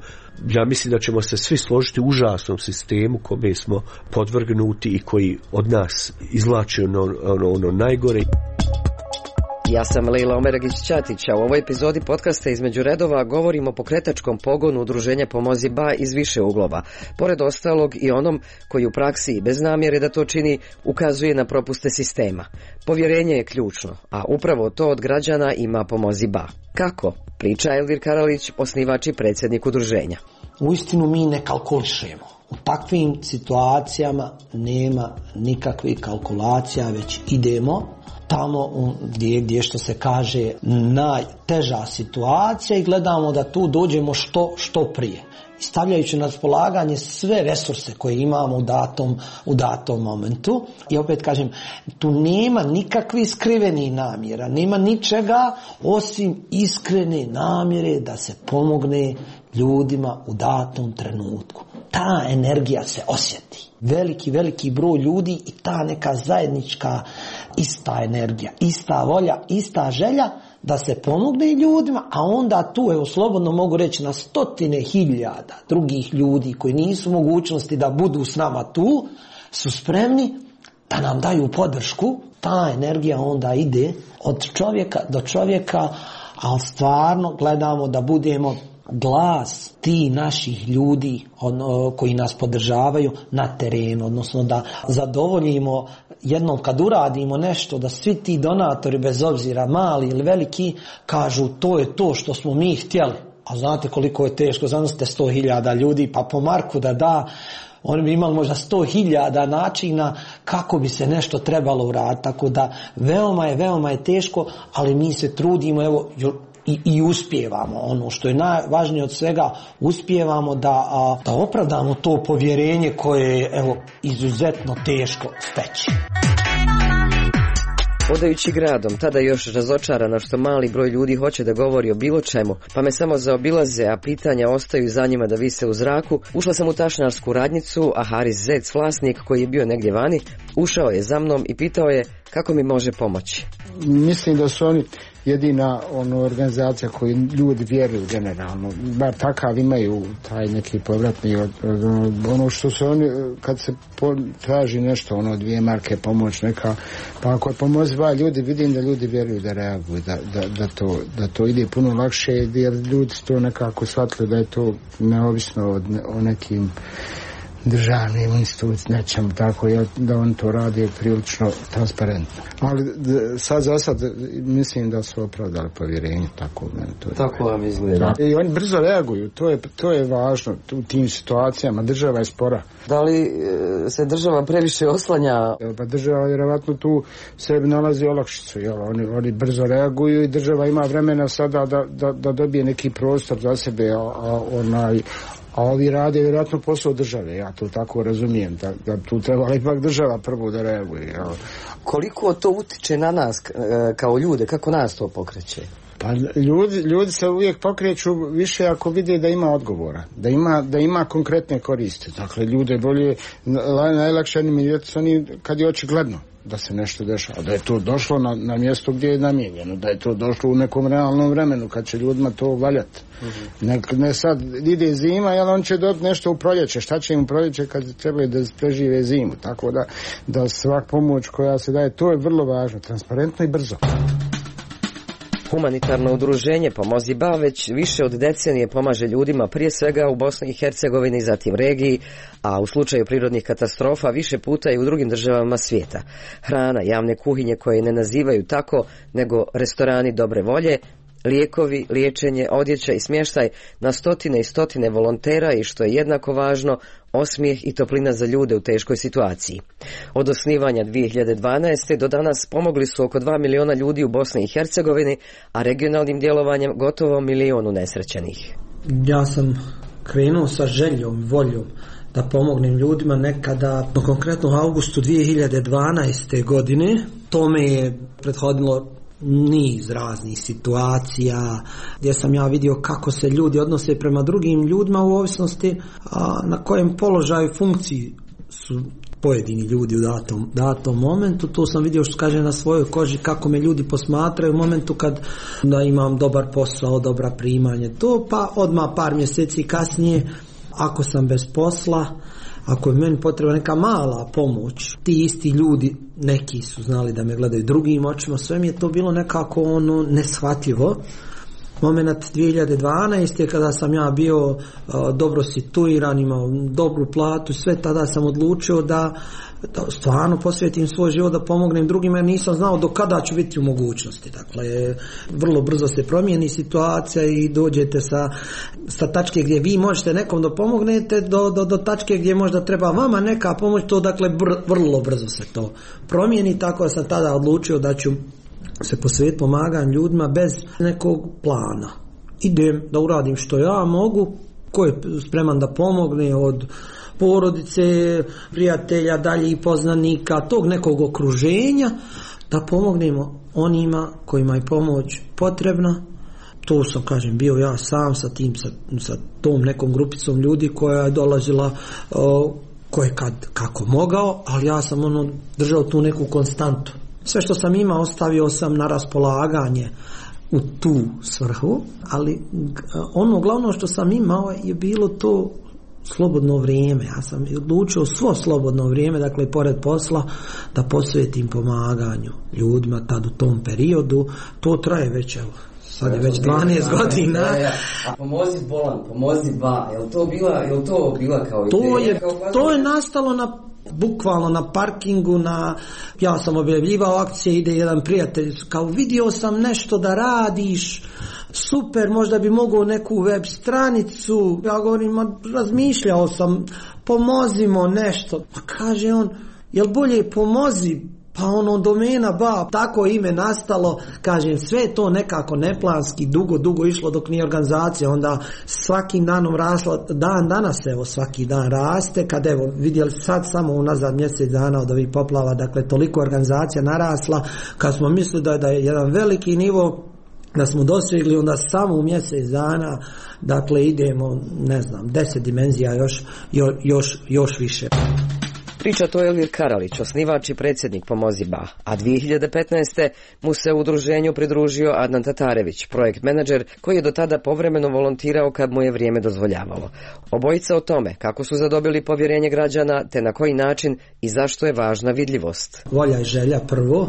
ja mislim da ćemo se svi složiti, užasnom sistemu kome smo podvrgnuti i koji od nas izvlači ono, ono, ono najgore. Ja sam Lejla Omeragić-Ćatić, a u ovoj epizodi podcasta Između redova govorimo o pokretačkom pogonu udruženja Pomozi ba iz više uglova. Pored ostalog i onom koji u praksi i bez namjere da to čini ukazuje na propuste sistema. Povjerenje je ključno, a upravo to od građana ima Pomozi ba. Kako? Priča Elvir Karalić, osnivač i predsjednik udruženja. Uistinu mi ne kalkulišemo. U takvim situacijama nema nikakvih kalkulacija, već idemo tamo gdje, gdje što se kaže najteža situacija i gledamo da tu dođemo što, što prije. Stavljajući na raspolaganje sve resurse koje imamo u datom, u datom momentu. I opet kažem, tu nema nikakvih skrivenih namjera, nema ničega osim iskrene namjere da se pomogne ljudima u datom trenutku. Ta energija se osjeti. Veliki, veliki broj ljudi i ta neka zajednička ista energija, ista volja, ista želja da se pomogne ljudima, a onda tu, evo slobodno mogu reći, na stotine hiljada drugih ljudi koji nisu mogućnosti da budu s nama tu, su spremni da nam daju podršku. Ta energija onda ide od čovjeka do čovjeka, ali stvarno gledamo da budemo glas ti naših ljudi ono, koji nas podržavaju na terenu, odnosno da zadovoljimo jednom kad uradimo nešto, da svi ti donatori, bez obzira mali ili veliki, kažu to je to što smo mi htjeli. A znate koliko je teško, zamislite sto hiljada ljudi, pa po Marku da da, oni bi imali možda sto hiljada načina kako bi se nešto trebalo uraditi. Tako da veoma je, veoma je teško, ali mi se trudimo, evo, I, i uspijevamo. Ono što je najvažnije od svega, uspijevamo da, a, da opravdamo to povjerenje koje je, evo, izuzetno teško steći. Odajući gradom, tada još razočarana što mali broj ljudi hoće da govori o bilo čemu, pa me samo zaobilaze, a pitanja ostaju za njima da vise u zraku, ušla sam u tašnarsku radnicu, a Haris Zec, vlasnik koji je bio negdje vani, ušao je za mnom i pitao je kako mi može pomoći? Mislim da su oni jedina ono, organizacija koju ljudi vjeruju generalno, bar takav imaju taj neki povratni od, od, ono što se oni, kad se po, traži nešto, ono dvije marke pomoć neka, pa ako je pomoziva ljudi, vidim da ljudi vjeruju da reaguju, da, da, da, to, da to ide puno lakše, jer ljudi su to nekako shvatili da je to neovisno od, o nekim državnim institucijama, nećemo tako, da on to radi prilično transparentno. Ali d- sad za sad mislim da su opravdali povjerenje, tako meni to je. Tako vam izgleda. I oni brzo reaguju, to je, to je važno u tim situacijama, država je spora. Da li e, se država previše oslanja? Pa država vjerovatno tu sebi nalazi olakšicu, jel? Oni, oni brzo reaguju i država ima vremena sada da, da, da dobije neki prostor za sebe, a, a onaj a ovi rade vjerojatno posao države, ja to tako razumijem, da, da tu treba ipak država prvo da reaguje. Jel? Koliko to utiče na nas kao ljude, kako nas to pokreće? Pa ljudi, ljudi se uvijek pokreću više ako vide da ima odgovora, da ima, da ima konkretne koriste. Dakle, ljude bolje, najlakše animirati oni kad je očigledno da se nešto dešava, da je to došlo na, na mjesto gdje je namijenjeno, da je to došlo u nekom realnom vremenu kad će ljudima to valjati. Mm-hmm. Ne, ne sad ide zima, jel on će dobiti nešto u proljeće, šta će im u proljeće kad trebaju da prežive zimu, tako da, da svak pomoć koja se daje, to je vrlo važno, transparentno i brzo. Humanitarno udruženje Pomozi Ba već više od decenije pomaže ljudima prije svega u Bosni i Hercegovini, zatim regiji, a u slučaju prirodnih katastrofa više puta i u drugim državama svijeta. Hrana, javne kuhinje koje ne nazivaju tako, nego restorani dobre volje, lijekovi, liječenje, odjeća i smještaj na stotine i stotine volontera i što je jednako važno, osmijeh i toplina za ljude u teškoj situaciji. Od osnivanja dvije hiljade dvanaeste. do danas pomogli su oko dva miliona ljudi u Bosni i Hercegovini, a regionalnim djelovanjem gotovo milion unesrećenih. Ja sam krenuo sa željom, voljom da pomognem ljudima nekada, konkretno u augustu dvije hiljade dvanaeste. godine. Tome je prethodilo niz raznih situacija gdje sam ja vidio kako se ljudi odnose prema drugim ljudima u ovisnosti a, na kojem položaju funkciji su pojedini ljudi u datom, datom momentu. To sam vidio, što kaže, na svojoj koži kako me ljudi posmatraju u momentu kad da imam dobar posao, dobra primanje, to pa odmah par mjeseci kasnije ako sam bez posla, ako je meni potrebna neka mala pomoć, ti isti ljudi, neki su znali da me gledaju drugim očima, sve mi je to bilo nekako ono neshvatljivo. Moment dvije hiljade dvanaeste. kada sam ja bio uh, dobro situiran, imao dobru platu, sve tada sam odlučio da, da stvarno posvetim svoj život da pomognem drugima, jer nisam znao do kada ću biti u mogućnosti. Dakle, vrlo brzo se promijeni situacija i dođete sa, sa tačke gdje vi možete nekom da pomognete do, do, do tačke gdje možda treba vama neka pomoć, to dakle br, vrlo brzo se to promijeni, tako da sam tada odlučio da ću se posvetiti pomaganju ljudima bez nekog plana. Idem da uradim što ja mogu, ko je spreman da pomogne od porodice, prijatelja, dalje i poznanika, tog nekog okruženja, da pomognemo onima kojima je pomoć potrebna. To sam, kažem, bio ja sam sa tim, sa, sa tom nekom grupicom ljudi koja je dolazila uh, ko je kad kako mogao, ali ja sam ono držao tu neku konstantu. Sve što sam imao ostavio sam na raspolaganje u tu svrhu, ali ono glavno što sam imao je bilo to slobodno vrijeme. Ja sam odlučio svo slobodno vrijeme, dakle pored posla, da posvetim pomaganju ljudima tad u tom periodu. To traje već, evo, sad je već dvanaest godina. Ja, ja. A Pomozi Bolan, Pomozi Ba, je li to bila, je li to bila kao ideja? To je, kao to je nastalo na bukvalno na parkingu, na, ja sam objavljivao akcije, ide jedan prijatelj, kao vidio sam nešto da radiš, super, možda bi mogao neku web stranicu, ja govorim, razmišljao sam, pomozimo nešto, pa kaže on, jel bolje pomozi, pa ono domena ba, tako ime nastalo, kažem, sve to nekako neplanski, dugo, dugo išlo dok nije organizacija, onda svakim danom rasla, dan danas evo svaki dan raste, kad evo vidjeli sad samo unazad mjesec dana od ovih poplava, dakle toliko organizacija narasla, kad smo mislili da je, da je jedan veliki nivo da smo dosegli, onda samo u mjesec dana, dakle idemo, ne znam, deset dimenzija još, još, još više. Priča to Elvir Karalić, osnivač i predsjednik Pomozi Ba, a dvije hiljade petnaeste. mu se u udruženju pridružio Adnan Tatarević, projekt menadžer koji je do tada povremeno volontirao kad mu je vrijeme dozvoljavalo. Obojica o tome kako su zadobili povjerenje građana, te na koji način i zašto je važna vidljivost. Volja i želja prvo,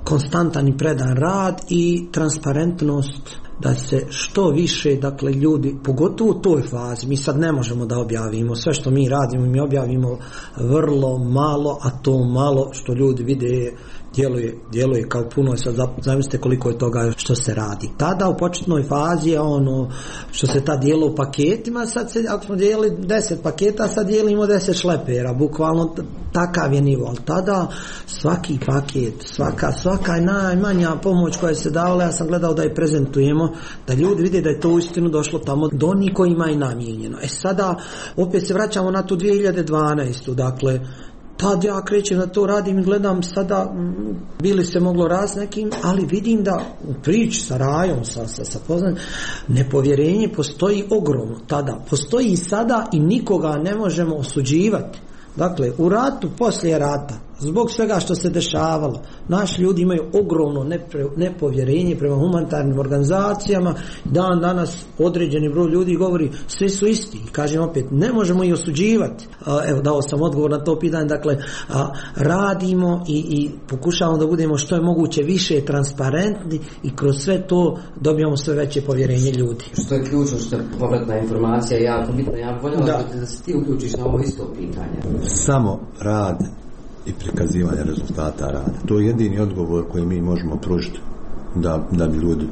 konstantan i predan rad i transparentnost, da se što više, dakle, ljudi, pogotovo u toj fazi, mi sad ne možemo da objavimo sve što mi radimo, mi objavimo vrlo malo, a to malo što ljudi vide djeluje, djeluje kao puno. Sad zamislite koliko je toga što se radi. Tada u početnoj fazi je ono što se ta dijelo u paketima, sad se, ako smo dijelili deset paketa, sad dijelimo deset šlepera, bukvalno takav je nivo, ali tada svaki paket, svaka, svaka najmanja pomoć koja se davala, ja sam gledao da je prezentujemo, da ljudi vide da je to uistinu došlo tamo do onih kojima je namijenjeno. E sada opet se vraćamo na tu dvije hiljade dvanaestu. Dakle, tad ja krećem na to, radim i gledam sada, bili se moglo raz nekim, ali vidim da u priči sa Rajom, sa, sa, sa poznanim, nepovjerenje postoji ogromno tada, postoji i sada i nikoga ne možemo osuđivati. Dakle, u ratu, poslije rata, zbog svega što se dešavalo, naši ljudi imaju ogromno nepre, nepovjerenje prema humanitarnim organizacijama. Dan danas određeni broj ljudi govori svi su isti. I kažem opet, ne možemo ih osuđivati. Evo, dao sam odgovor na to pitanje. Dakle, radimo i, i pokušavamo da budemo što je moguće više transparentni i kroz sve to dobijamo sve veće povjerenje ljudi. Što je ključno, što je povratna informacija jako bitna. Ja bih voljela da. da se ti uključiš na ovo isto pitanje. Samo rad i prikazivanje rezultata rada. To je jedini odgovor koji mi možemo pružiti da, da bi ljudi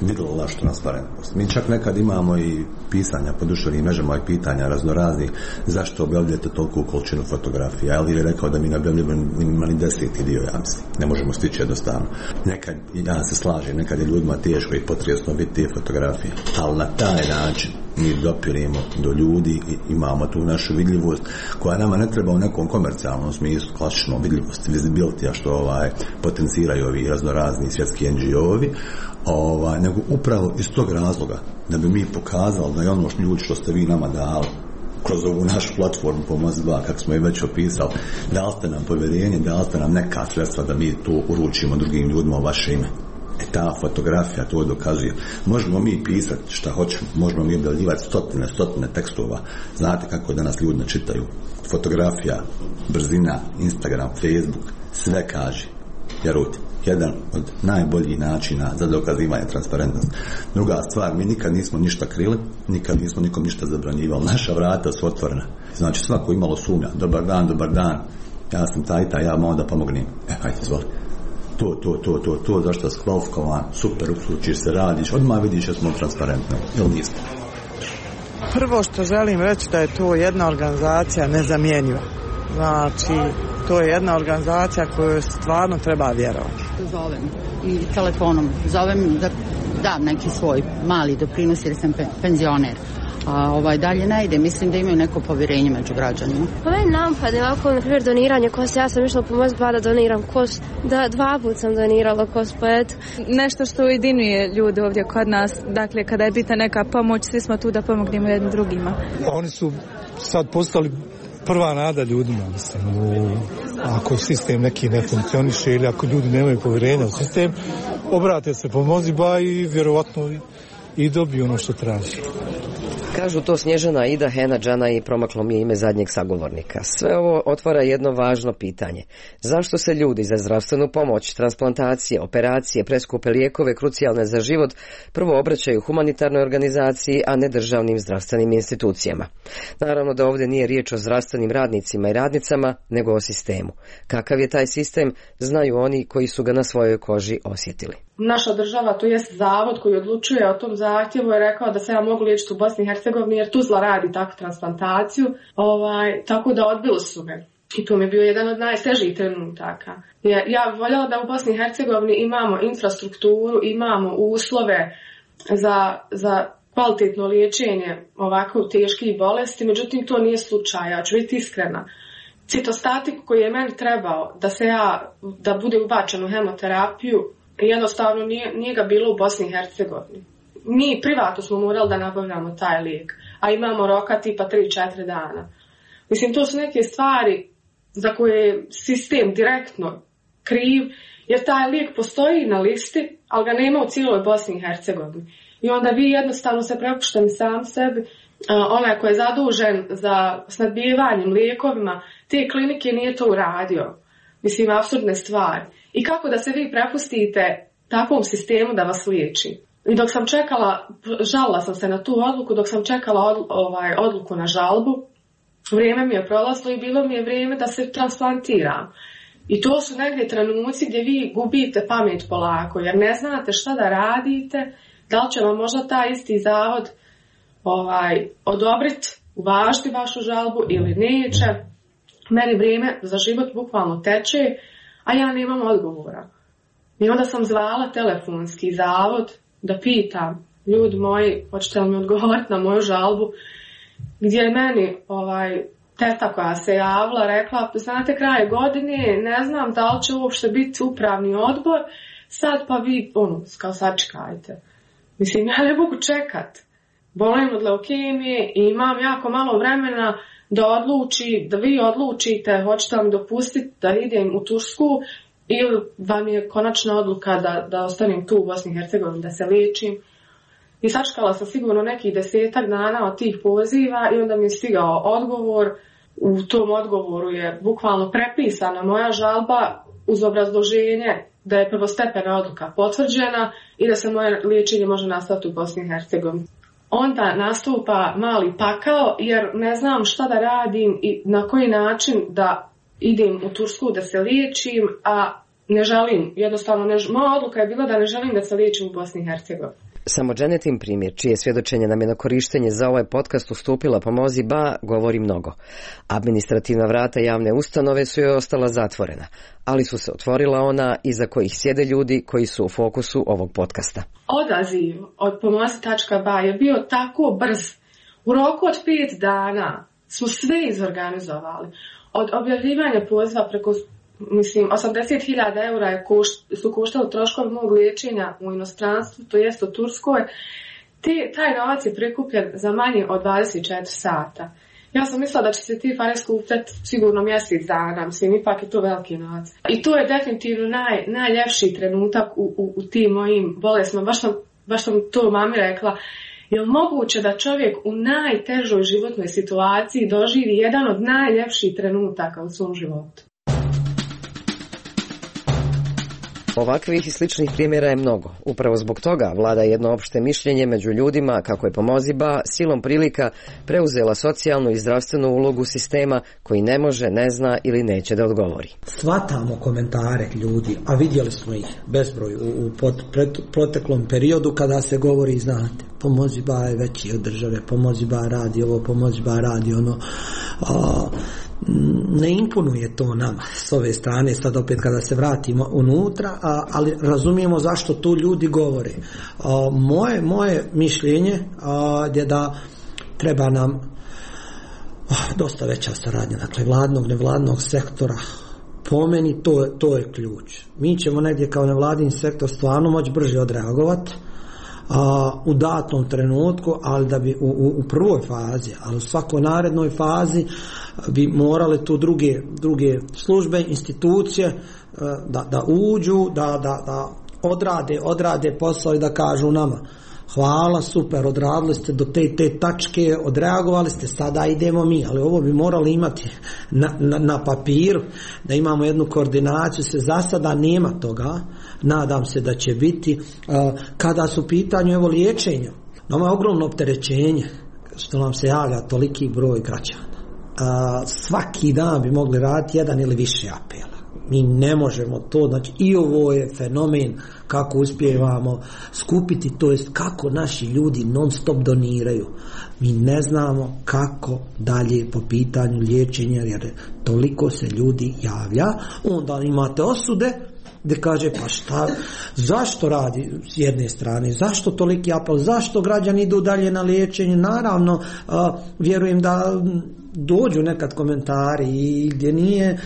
vidjeli našu transparentnost. Mi čak nekad imamo i pisanja po društvenim mrežama i pitanja raznoraznih zašto objavljujete toliko količinu fotografija. Ali je rekao da mi ne objavljujemo ni deseti dio, ja mislim. Ne možemo stići jednostavno. Nekad, ja se slažem, nekad je ljudima teško i potresno vidjeti te fotografije. Ali na taj način mi dopirimo do ljudi i imamo tu našu vidljivost koja nama ne treba u nekom komercijalnom smislu, klasično vidljivost, visibility, a što ovaj, potenciraju ovi raznorazni svjetski en dži o-ovi, ovaj, nego upravo iz tog razloga da bi mi pokazali da je ono što ljudi što ste vi nama dali kroz ovu našu platformu Pomozi Ba, kako smo je već opisali, dali ste nam povjerenje, dali ste nam neka sredstva da mi to uručimo drugim ljudima u vaše ime. E ta fotografija to dokazuje. Možemo mi pisati šta hoćemo, možemo mi objavljivati stotine, stotine tekstova. Znate kako danas ljudi ne čitaju. Fotografija, brzina, Instagram, Facebook, sve kaže. Vjerujte, jedan od najboljih načina za dokazivanje transparentnosti. Druga stvar, mi nikad nismo ništa krili, nikad nismo nikom ništa zabranjivali. Naša vrata su otvorena. Znači svako imalo sumnja, dobar dan, dobar dan, ja sam taj, taj, ja mogu da pomognem. E, hajde, izvoli. To, to, to, to, to, zašto si kvalifikovan, super, uključiš se, radiš, odmah vidiš da smo transparentni, ili niste? Prvo što želim reći da je to jedna organizacija nezamjenjiva. Znači, to je jedna organizacija koju stvarno treba vjerovati. Zovem i telefonom, zovem da dam neki svoj mali doprinos jer sam penzioner. A ovaj dalje ne ide, mislim da imaju neko povjerenje među građanima. Ovaj napad je ovako, na primjer, doniranje kosti. Ja sam išla Pomozi Ba da doniram kost. Da, dva put sam donirala kost, pa eto. Nešto što ujedinjuje ljude ovdje kod nas. Dakle, kada je bitna neka pomoć, svi smo tu da pomognemo jednim drugima. Oni su sad postali prva nada ljudima, mislim. U, ako sistem neki ne funkcioniše ili ako ljudi nemaju povjerenja u sistem, obrate se Pomozi Ba i vjerovatno i dobiju ono što traži. Kažu to Snježana, Ida, Hena, Džana i promaklo mi je ime zadnjeg sagovornika. Sve ovo otvara jedno važno pitanje. Zašto se ljudi za zdravstvenu pomoć, transplantacije, operacije, preskupe lijekove krucijalne za život prvo obraćaju humanitarnoj organizaciji, a ne državnim zdravstvenim institucijama? Naravno da ovdje nije riječ o zdravstvenim radnicima i radnicama, nego o sistemu. Kakav je taj sistem, znaju oni koji su ga na svojoj koži osjetili. Naša država, to jest zavod koji odlučuje o tom zahtjevu, je rekao da se ja mogu liječiti u Bosni i Hercegovini jer Tuzla radi takvu transplantaciju, ovaj, tako da odbili su me. I to mi je bio jedan od najtežih trenutaka. Ja, ja bih voljela da u Bosni i Hercegovini imamo infrastrukturu, imamo uslove za, za kvalitetno liječenje ovako teških bolesti, međutim to nije slučaj, ja ću biti iskrena. Citostatik koji je meni trebao da se ja, da bude ubačen u hemoterapiju, jednostavno nije, nije ga bilo u Bosni i Hercegovini. Mi privatno smo morali da nabavljamo taj lijek, a imamo roka tipa tri četiri dana. Mislim, to su neke stvari za koje je sistem direktno kriv, jer taj lijek postoji na listi, ali ga nema u cijeloj Bosni i Hercegovini. I onda vi jednostavno se prepušteni sam sebi, onaj koji je zadužen za snadbijevanjem lijekovima, te klinike nije to uradio. Mislim, apsurdne stvari. I kako da se vi prepustite takvom sistemu da vas liječi? I dok sam čekala, žalila sam se na tu odluku, dok sam čekala od, ovaj, odluku na žalbu, vrijeme mi je prolazilo i bilo mi je vrijeme da se transplantiram. I to su negdje trenuci gdje vi gubite pamet polako, jer ne znate šta da radite, da li će vam možda taj isti zavod ovaj, odobriti, uvažiti vašu žalbu ili neće. Meni vrijeme za život bukvalno teče, a ja nemam odgovora. I onda sam zvala telefonski zavod da pitam, ljudi moji, hoćete li mi odgovoriti na moju žalbu, gdje je meni ovaj, teta koja se javila rekla, znate, kraj godine, ne znam da li će uopšte biti upravni odbor, sad pa vi, ono, kao sačekajte. Mislim, ja ne mogu čekat. Bolim od leukemije i imam jako malo vremena da odluči, da vi odlučite, hoćete li mi dopustiti da idem u Tursku ili vam je konačna odluka da, da ostanem tu u Bosni i Hercegovini, da se liječim. I sačekala sam sigurno nekih desetak dana od tih poziva i onda mi je stigao odgovor. U tom odgovoru je bukvalno prepisana moja žalba uz obrazloženje da je prvostepena odluka potvrđena i da se moje liječenje može nastaviti u Bosni i Hercegovini. Onda nastupa mali pakao jer ne znam šta da radim i na koji način da idem u Tursku da se liječim, a ne želim, jednostavno ne, moja odluka je bila da ne želim da se liječim u Bosni i Hercegovini. Samo Dženetin primjer, čije svjedočenje nam je na korištenje za ovaj podcast ustupila Pomozi Ba, govori mnogo. Administrativna vrata javne ustanove su joj ostala zatvorena, ali su se otvorila ona iza kojih sjede ljudi koji su u fokusu ovog podcasta. Odaziv od pomozi tačka ba je bio tako brz. U roku od pet dana smo sve izorganizovali. Od objavljivanja poziva preko Mislim, osamdeset hiljada eura je košt, su koštali troškovi mog liječenja u inostranstvu, to jest u Turskoj. Te, taj novac je prikupljen za manje od dvadeset četiri sata. Ja sam mislila da će se ti pare skupljati sigurno mjesec dana, mislim, ipak je to veliki novac. I to je definitivno naj, najljepši trenutak u, u, u tim mojim bolestima. Baš sam, baš sam to mami rekla. Je li moguće da čovjek u najtežoj životnoj situaciji doživi jedan od najljepših trenutaka u svom životu? Ovakvih i sličnih primjera je mnogo. Upravo zbog toga vlada jedno opšte mišljenje među ljudima kako je Pomozi Ba silom prilika preuzela socijalnu i zdravstvenu ulogu sistema koji ne može, ne zna ili neće da odgovori. Svatamo komentare ljudi, a vidjeli smo ih bezbroj u, u pot, pret, proteklom periodu kada se govori, znate, Pomozi Ba je veći od države, Pomozi Ba radi ovo, Pomozi Ba radi ono. A, ne imponuje to nama s ove strane, sad opet kada se vratimo unutra, a, ali razumijemo zašto tu ljudi govore. A, moje, moje mišljenje a, je da treba nam a, dosta veća saradnja, dakle vladnog, nevladnog sektora. Po meni to, to je ključ. Mi ćemo negdje kao nevladin sektor stvarno moći brže odreagovati a, u datom trenutku, ali da bi u, u, u prvoj fazi, ali u svakoj narednoj fazi bi morale tu druge, druge službe, institucije da, da uđu, da, da, da odrade, odrade posao i da kažu nama hvala, super, odradili ste do te te tačke, odreagovali ste, sada idemo mi, ali ovo bi morali imati na, na, na papiru, da imamo jednu koordinaciju, se za sada nema toga, nadam se da će biti. Kada su u pitanju evo liječenja, nama je ogromno opterećenje što nam se javlja toliki broj građana. Svaki dan bi mogli raditi jedan ili više apela. Mi ne možemo to, znači i ovo je fenomen kako uspijevamo skupiti, to jest kako naši ljudi non stop doniraju. Mi ne znamo kako dalje po pitanju liječenja, jer toliko se ljudi javlja. Onda imate osude gdje kaže pa šta, zašto radi s jedne strane, zašto toliki apel, zašto građani idu dalje na liječenje. Naravno, a, vjerujem da dođu nekad komentari i gdje nije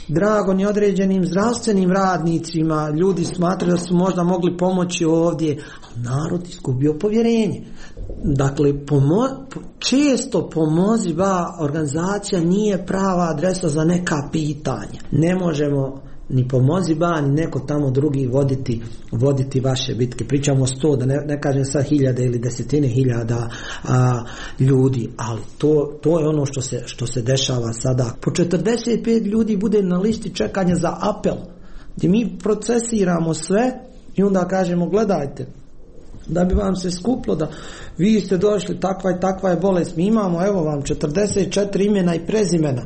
drago ni određenim zdravstvenim radnicima, ljudi smatraju da su možda mogli pomoći ovdje, narod izgubio povjerenje. Dakle, pomo, često pomozi ba organizacija nije prava adresa za neka pitanja. Ne možemo ni pomozi ba, ni neko tamo drugi voditi, voditi vaše bitke. Pričamo o sto, da ne, ne kažem sad hiljade ili desetine hiljada a, ljudi, ali to, to je ono što se, što se dešava sada. Po četrdeset pet ljudi bude na listi čekanja za apel, gdje mi procesiramo sve i onda kažemo gledajte, da bi vam se skuplo da vi ste došli, takva i takva je bolest, mi imamo evo vam četrdeset četiri imena i prezimena.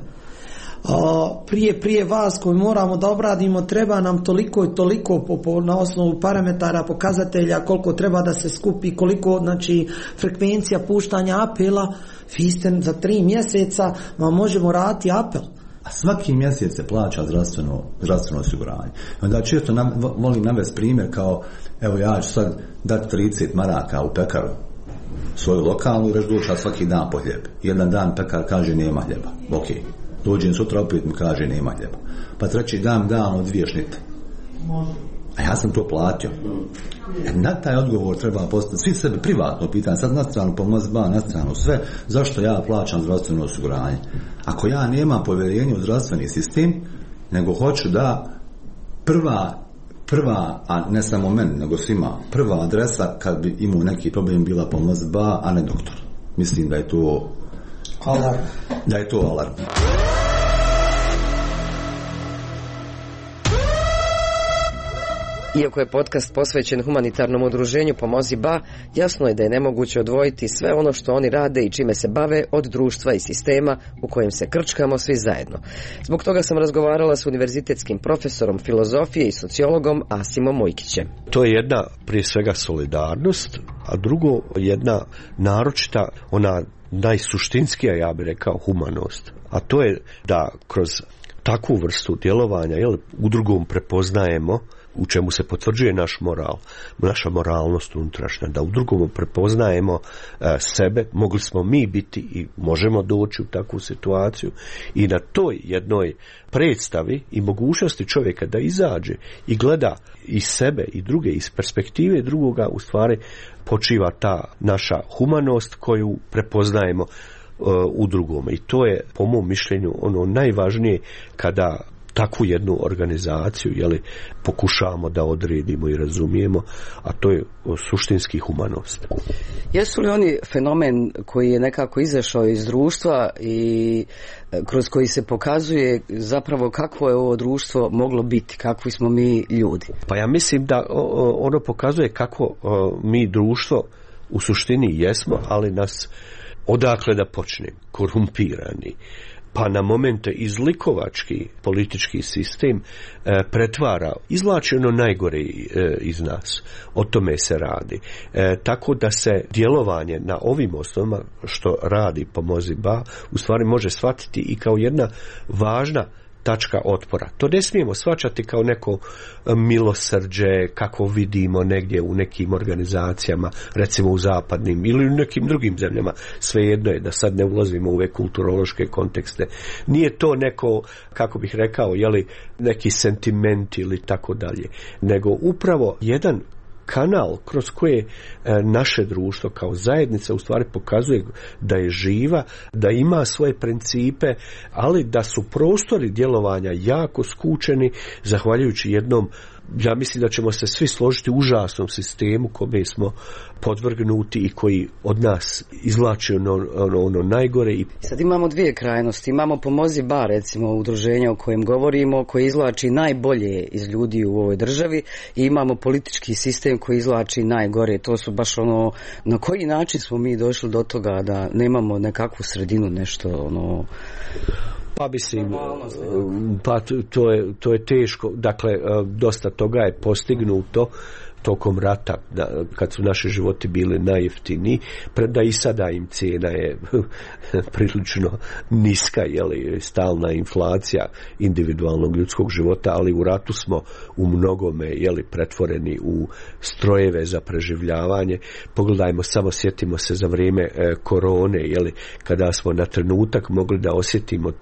A, prije prije vas koji moramo da obradimo treba nam toliko i toliko po, po, na osnovu parametara, pokazatelja koliko treba da se skupi, koliko znači frekvencija puštanja apela. Vi ste za tri mjeseca vam možemo raditi apel. A svaki mjesec se plaća zdravstveno, zdravstveno osiguranje. Onda često nam, volim navesti primjer kao, evo ja ću sad dati trideset maraka u pekaru svoju lokalnu i reći dođa svaki dan po hljeb. Jedan dan pekar kaže nema hljeba. Ok. Dođem sutra opet mi kaže nema hljeba. Pa treći dan dan od dvije šnite. A ja sam to platio. E, na taj odgovor treba postaviti svi sebe privatno pitanje, sad na stranu pomoć ba, na stranu sve, zašto ja plaćam zdravstveno osiguranje? Ako ja nemam povjerenje u zdravstveni sistem, nego hoću da prva, prva, a ne samo meni, nego svima, prva adresa kad bi imao neki problem bila pomoć ba, a ne doktor. Mislim da je to alarm. Da je to alarm. Iako je podcast posvećen humanitarnom udruženju Pomozi ba, jasno je da je nemoguće odvojiti sve ono što oni rade i čime se bave od društva i sistema u kojem se krčkamo svi zajedno. Zbog toga sam razgovarala s univerzitetskim profesorom filozofije i sociologom Asimom Mujkićem. To je jedna prije svega solidarnost, a drugo jedna naročita, ona najsuštinskija, ja bih rekao, humanost. A to je da kroz takvu vrstu djelovanja, jel, udrugom prepoznajemo, u čemu se potvrđuje naš moral, naša moralnost unutrašnja, da u drugom prepoznajemo e, sebe, mogli smo mi biti i možemo doći u takvu situaciju i na toj jednoj predstavi i mogućnosti čovjeka da izađe i gleda i sebe i druge iz perspektive drugoga, u stvari počiva ta naša humanost koju prepoznajemo e, u drugome. I to je po mom mišljenju ono najvažnije kada takvu jednu organizaciju, jeli, pokušavamo da odredimo i razumijemo, a to je suštinski humanost. Jesu li oni fenomen koji je nekako izašao iz društva i kroz koji se pokazuje zapravo kakvo je ovo društvo moglo biti, kakvi smo mi ljudi? Pa ja mislim da ono pokazuje kako mi društvo u suštini jesmo, ali nas odakle da počne, korumpirani, pa na momente izlikovački politički sistem e, pretvara, izvlači ono najgore e, iz nas. O tome se radi. E, tako da se djelovanje na ovim osnovama što radi Pomozi ba u stvari može shvatiti i kao jedna važna tačka otpora. To ne smijemo shvaćati kao neko milosrđe kako vidimo negdje u nekim organizacijama, recimo u zapadnim ili u nekim drugim zemljama. Svejedno je, da sad ne ulazimo u ove kulturološke kontekste. Nije to neko, kako bih rekao, jeli, neki sentiment ili tako dalje, nego upravo jedan kanal kroz koje naše društvo kao zajednica u stvari pokazuje da je živa, da ima svoje principe, ali da su prostori djelovanja jako skučeni zahvaljujući jednom, ja mislim da ćemo se svi složiti, užasnom sistemu kome smo podvrgnuti i koji od nas izvlači ono, ono, ono najgore. I sad imamo dvije krajnosti. Imamo Pomozi ba, recimo udruženja o kojem govorimo, koji izvlači najbolje iz ljudi u ovoj državi, i imamo politički sistem koji izvlači najgore. To su baš ono, na koji način smo mi došli do toga da nemamo nekakvu sredinu, nešto ono... Pa mislim, pa to je, to je teško, dakle dosta toga je postignuto tokom rata, da, kad su naši životi bili najjeftiniji, premda i sada im cijena je prilično niska, jeli, stalna inflacija individualnog ljudskog života, ali u ratu smo u mnogome, jeli, pretvoreni u strojeve za preživljavanje. Pogledajmo, samo sjetimo se za vrijeme e, korone, jeli, kada smo na trenutak mogli da osjetimo e,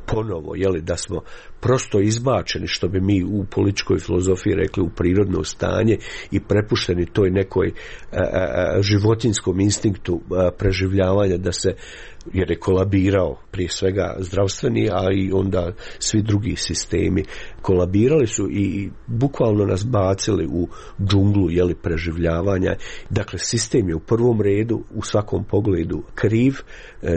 ponovo, jeli, da smo prosto izbačeni, što bi mi u političkoj filozofiji rekli, u prirodno stanje i prepušteni toj nekoj a, a, životinskom instinktu a, preživljavanja, da se, jer je kolabirao prije svega zdravstveni, a i onda svi drugi sistemi kolabirali su i bukvalno nas bacili u džunglu, jeli, preživljavanja. Dakle, sistem je u prvom redu u svakom pogledu kriv,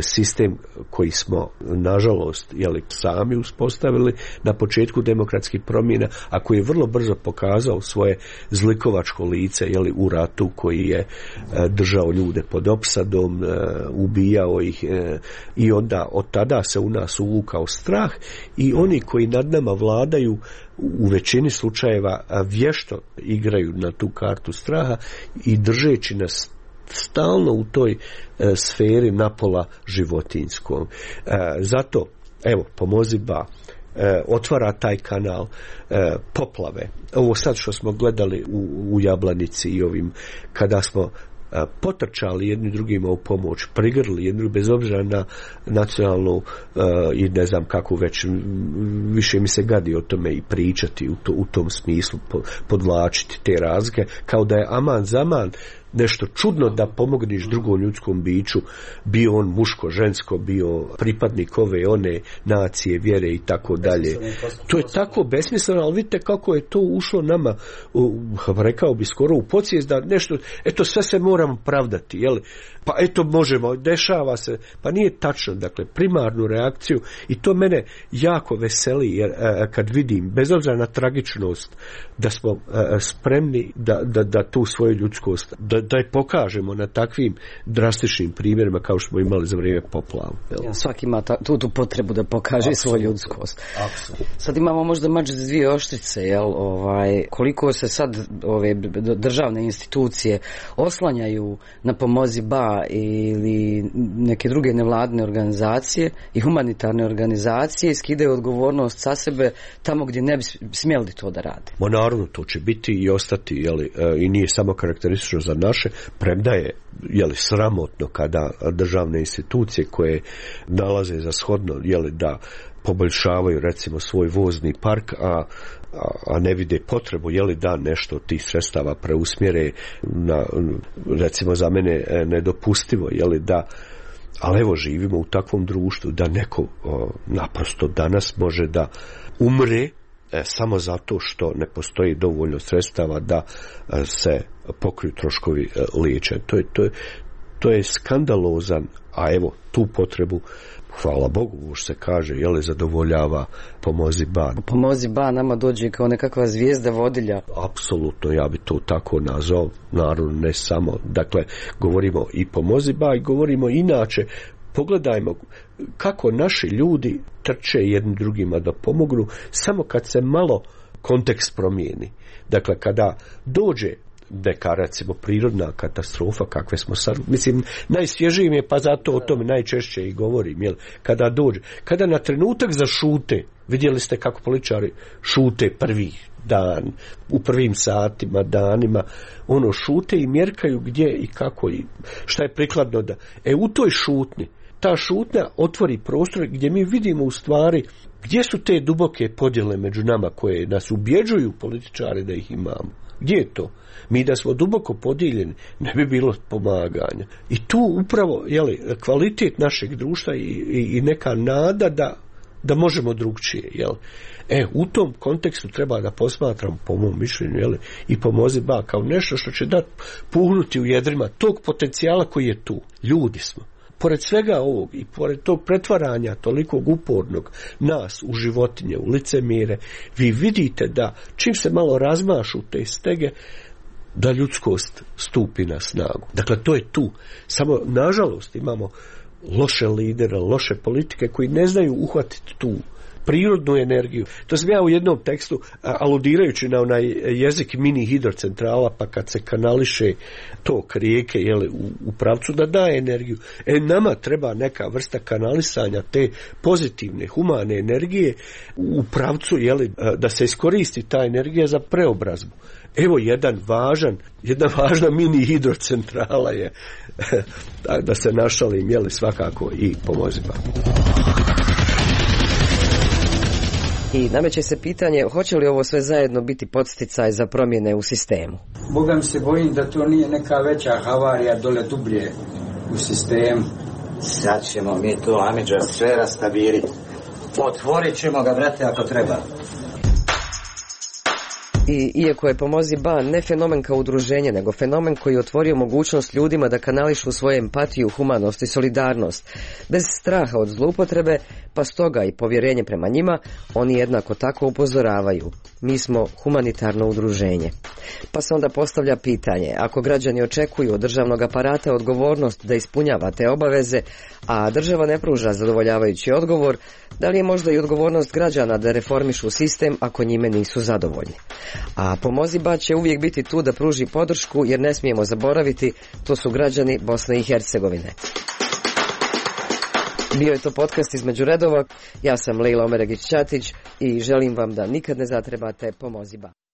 sistem koji smo nažalost, jeli, sami uspostavili na početku demokratskih promjena, a koji je vrlo brzo pokazao svoje zlikovačko lice, jeli, u ratu, koji je držao ljude pod opsadom, ubijao ih, i onda od tada se u nas uvukao strah i oni koji nad nama vladaju u većini slučajeva vješto igraju na tu kartu straha i držeći nas stalno u toj e, sferi napola životinskom. E, zato, evo, Pomozi Ba e, otvara taj kanal e, poplave. Ovo sad što smo gledali u, u Jablanici i ovim, kada smo potrčali jedni drugima u pomoć, prigrli jedni bez obzira na nacionalnu uh, i ne znam kako već, više mi se gadi o tome i pričati u, to, u tom smislu, po, podvlačiti te razlike, kao da je aman zaman nešto čudno da pomogneš drugom ljudskom biću, bio on muško, žensko, bio pripadnik ove, one nacije, vjere i tako dalje. To je tako besmisleno, ali vidite kako je to ušlo nama, u, rekao bi skoro u podsvijest, da nešto, eto sve se moramo pravdati, jel? Pa eto možemo, dešava se, pa nije tačno, dakle, primarnu reakciju, i to mene jako veseli, jer a, kad vidim, bez obzira na tragičnost, da smo a, spremni da, da, da tu svoju ljudskost, da, da je pokažemo na takvim drastičnim primjerima kao što smo imali za vrijeme poplava. Ja, svaki ima ta, tu, tu potrebu da pokaže Absolut. svoju ljudskost. Absolut. Sad imamo možda mač za dvije oštrice, jel? Ovaj, koliko se sad ove državne institucije oslanjaju na Pomozi Ba ili neke druge nevladine organizacije i humanitarne organizacije i skidaju odgovornost sa sebe tamo gdje ne bi smjeli to da rade. Ma naravno, to će biti i ostati, jeli, i nije samo karakteristično za naše, premda je, jeli, sramotno kada državne institucije koje nalaze za shodno, jeli, da poboljšavaju recimo svoj vozni park, a a ne vide potrebu, jeli, da nešto od tih sredstava preusmjere na, recimo za mene nedopustivo, jeli, da, ali evo živimo u takvom društvu da neko o, naprosto danas može da umre e, samo zato što ne postoji dovoljno sredstava da e, se pokriju troškovi e, liječenja. To je, to je, to je skandalozan, a evo tu potrebu, hvala Bogu, što se kaže, jeli, zadovoljava Pomozi Ba. Pomozi Ba nama dođe kao nekakva zvijezda vodilja. Apsolutno, ja bi to tako nazvao, naravno ne samo. Dakle, govorimo i Pomozi Ba i govorimo inače. Pogledajmo kako naši ljudi trče jednim drugima da pomognu, samo kad se malo kontekst promijeni. Dakle, kada dođe neka, recimo, prirodna katastrofa, kakve smo sad, mislim, najsvježiji mi je, pa zato o tome najčešće i govorim, jel, kada dođe, kada na trenutak zašute, vidjeli ste kako političari šute prvi dan, u prvim satima, danima, ono, šute i mjerkaju gdje i kako i šta je prikladno da, e, u toj šutnji, ta šutnja otvori prostor gdje mi vidimo u stvari gdje su te duboke podjele među nama koje nas ubjeđuju političari da ih imamo. Gdje je to? Mi da smo duboko podijeljeni, ne bi bilo pomaganja. I tu upravo, jeli, kvalitet našeg društva i, i, i neka nada da, da možemo drugčije, jel? E, u tom kontekstu treba da posmatram, po mom mišljenju, jeli, i Pomozi Ba kao nešto što će dati puhnuti u jedrima tog potencijala koji je tu. Ljudi smo. Pored svega ovog i pored tog pretvaranja tolikog upornog nas u životinje, u licemire, vi vidite da čim se malo razmašu te stege, da ljudskost stupi na snagu. Dakle, to je tu. Samo, nažalost, imamo loše lidere, loše politike koji ne znaju uhvatiti tu prirodnu energiju. To sam ja u jednom tekstu, aludirajući na onaj jezik mini hidrocentrala, pa kad se kanališe tok rijeke, jeli, u, u pravcu da daje energiju. E, nama treba neka vrsta kanalisanja te pozitivne, humane energije u pravcu, jeli, da se iskoristi ta energija za preobrazbu. Evo jedan važan, jedna važna mini hidrocentrala je, da se našalim, jeli, svakako i Pomozi Ba. I nameće se pitanje hoće li ovo sve zajedno biti podsticaj za promjene u sistemu. Boga mi se bojim da to nije neka veća havarija dole dublje u sistemu. Sad ćemo mi to, Amidža, sve rastabiriti. Otvorit ćemo ga, brate, ako treba. I iako je Pomozi Ba ne fenomen kao udruženje, nego fenomen koji je otvorio mogućnost ljudima da kanališu svoju empatiju, humanost i solidarnost, bez straha od zloupotrebe, pa stoga i povjerenje prema njima, oni jednako tako upozoravaju. Mi smo humanitarno udruženje. Pa se onda postavlja pitanje, ako građani očekuju od državnog aparata odgovornost da ispunjava te obaveze, a država ne pruža zadovoljavajući odgovor, da li je možda i odgovornost građana da reformišu sistem ako njime nisu zadovoljni? A Pomozi Ba će uvijek biti tu da pruži podršku, jer ne smijemo zaboraviti, to su građani Bosne i Hercegovine. Bio je to podcast Između redova, ja sam Lejla Omeregić-Ćatić i želim vam da nikad ne zatrebate Pomozi Ba.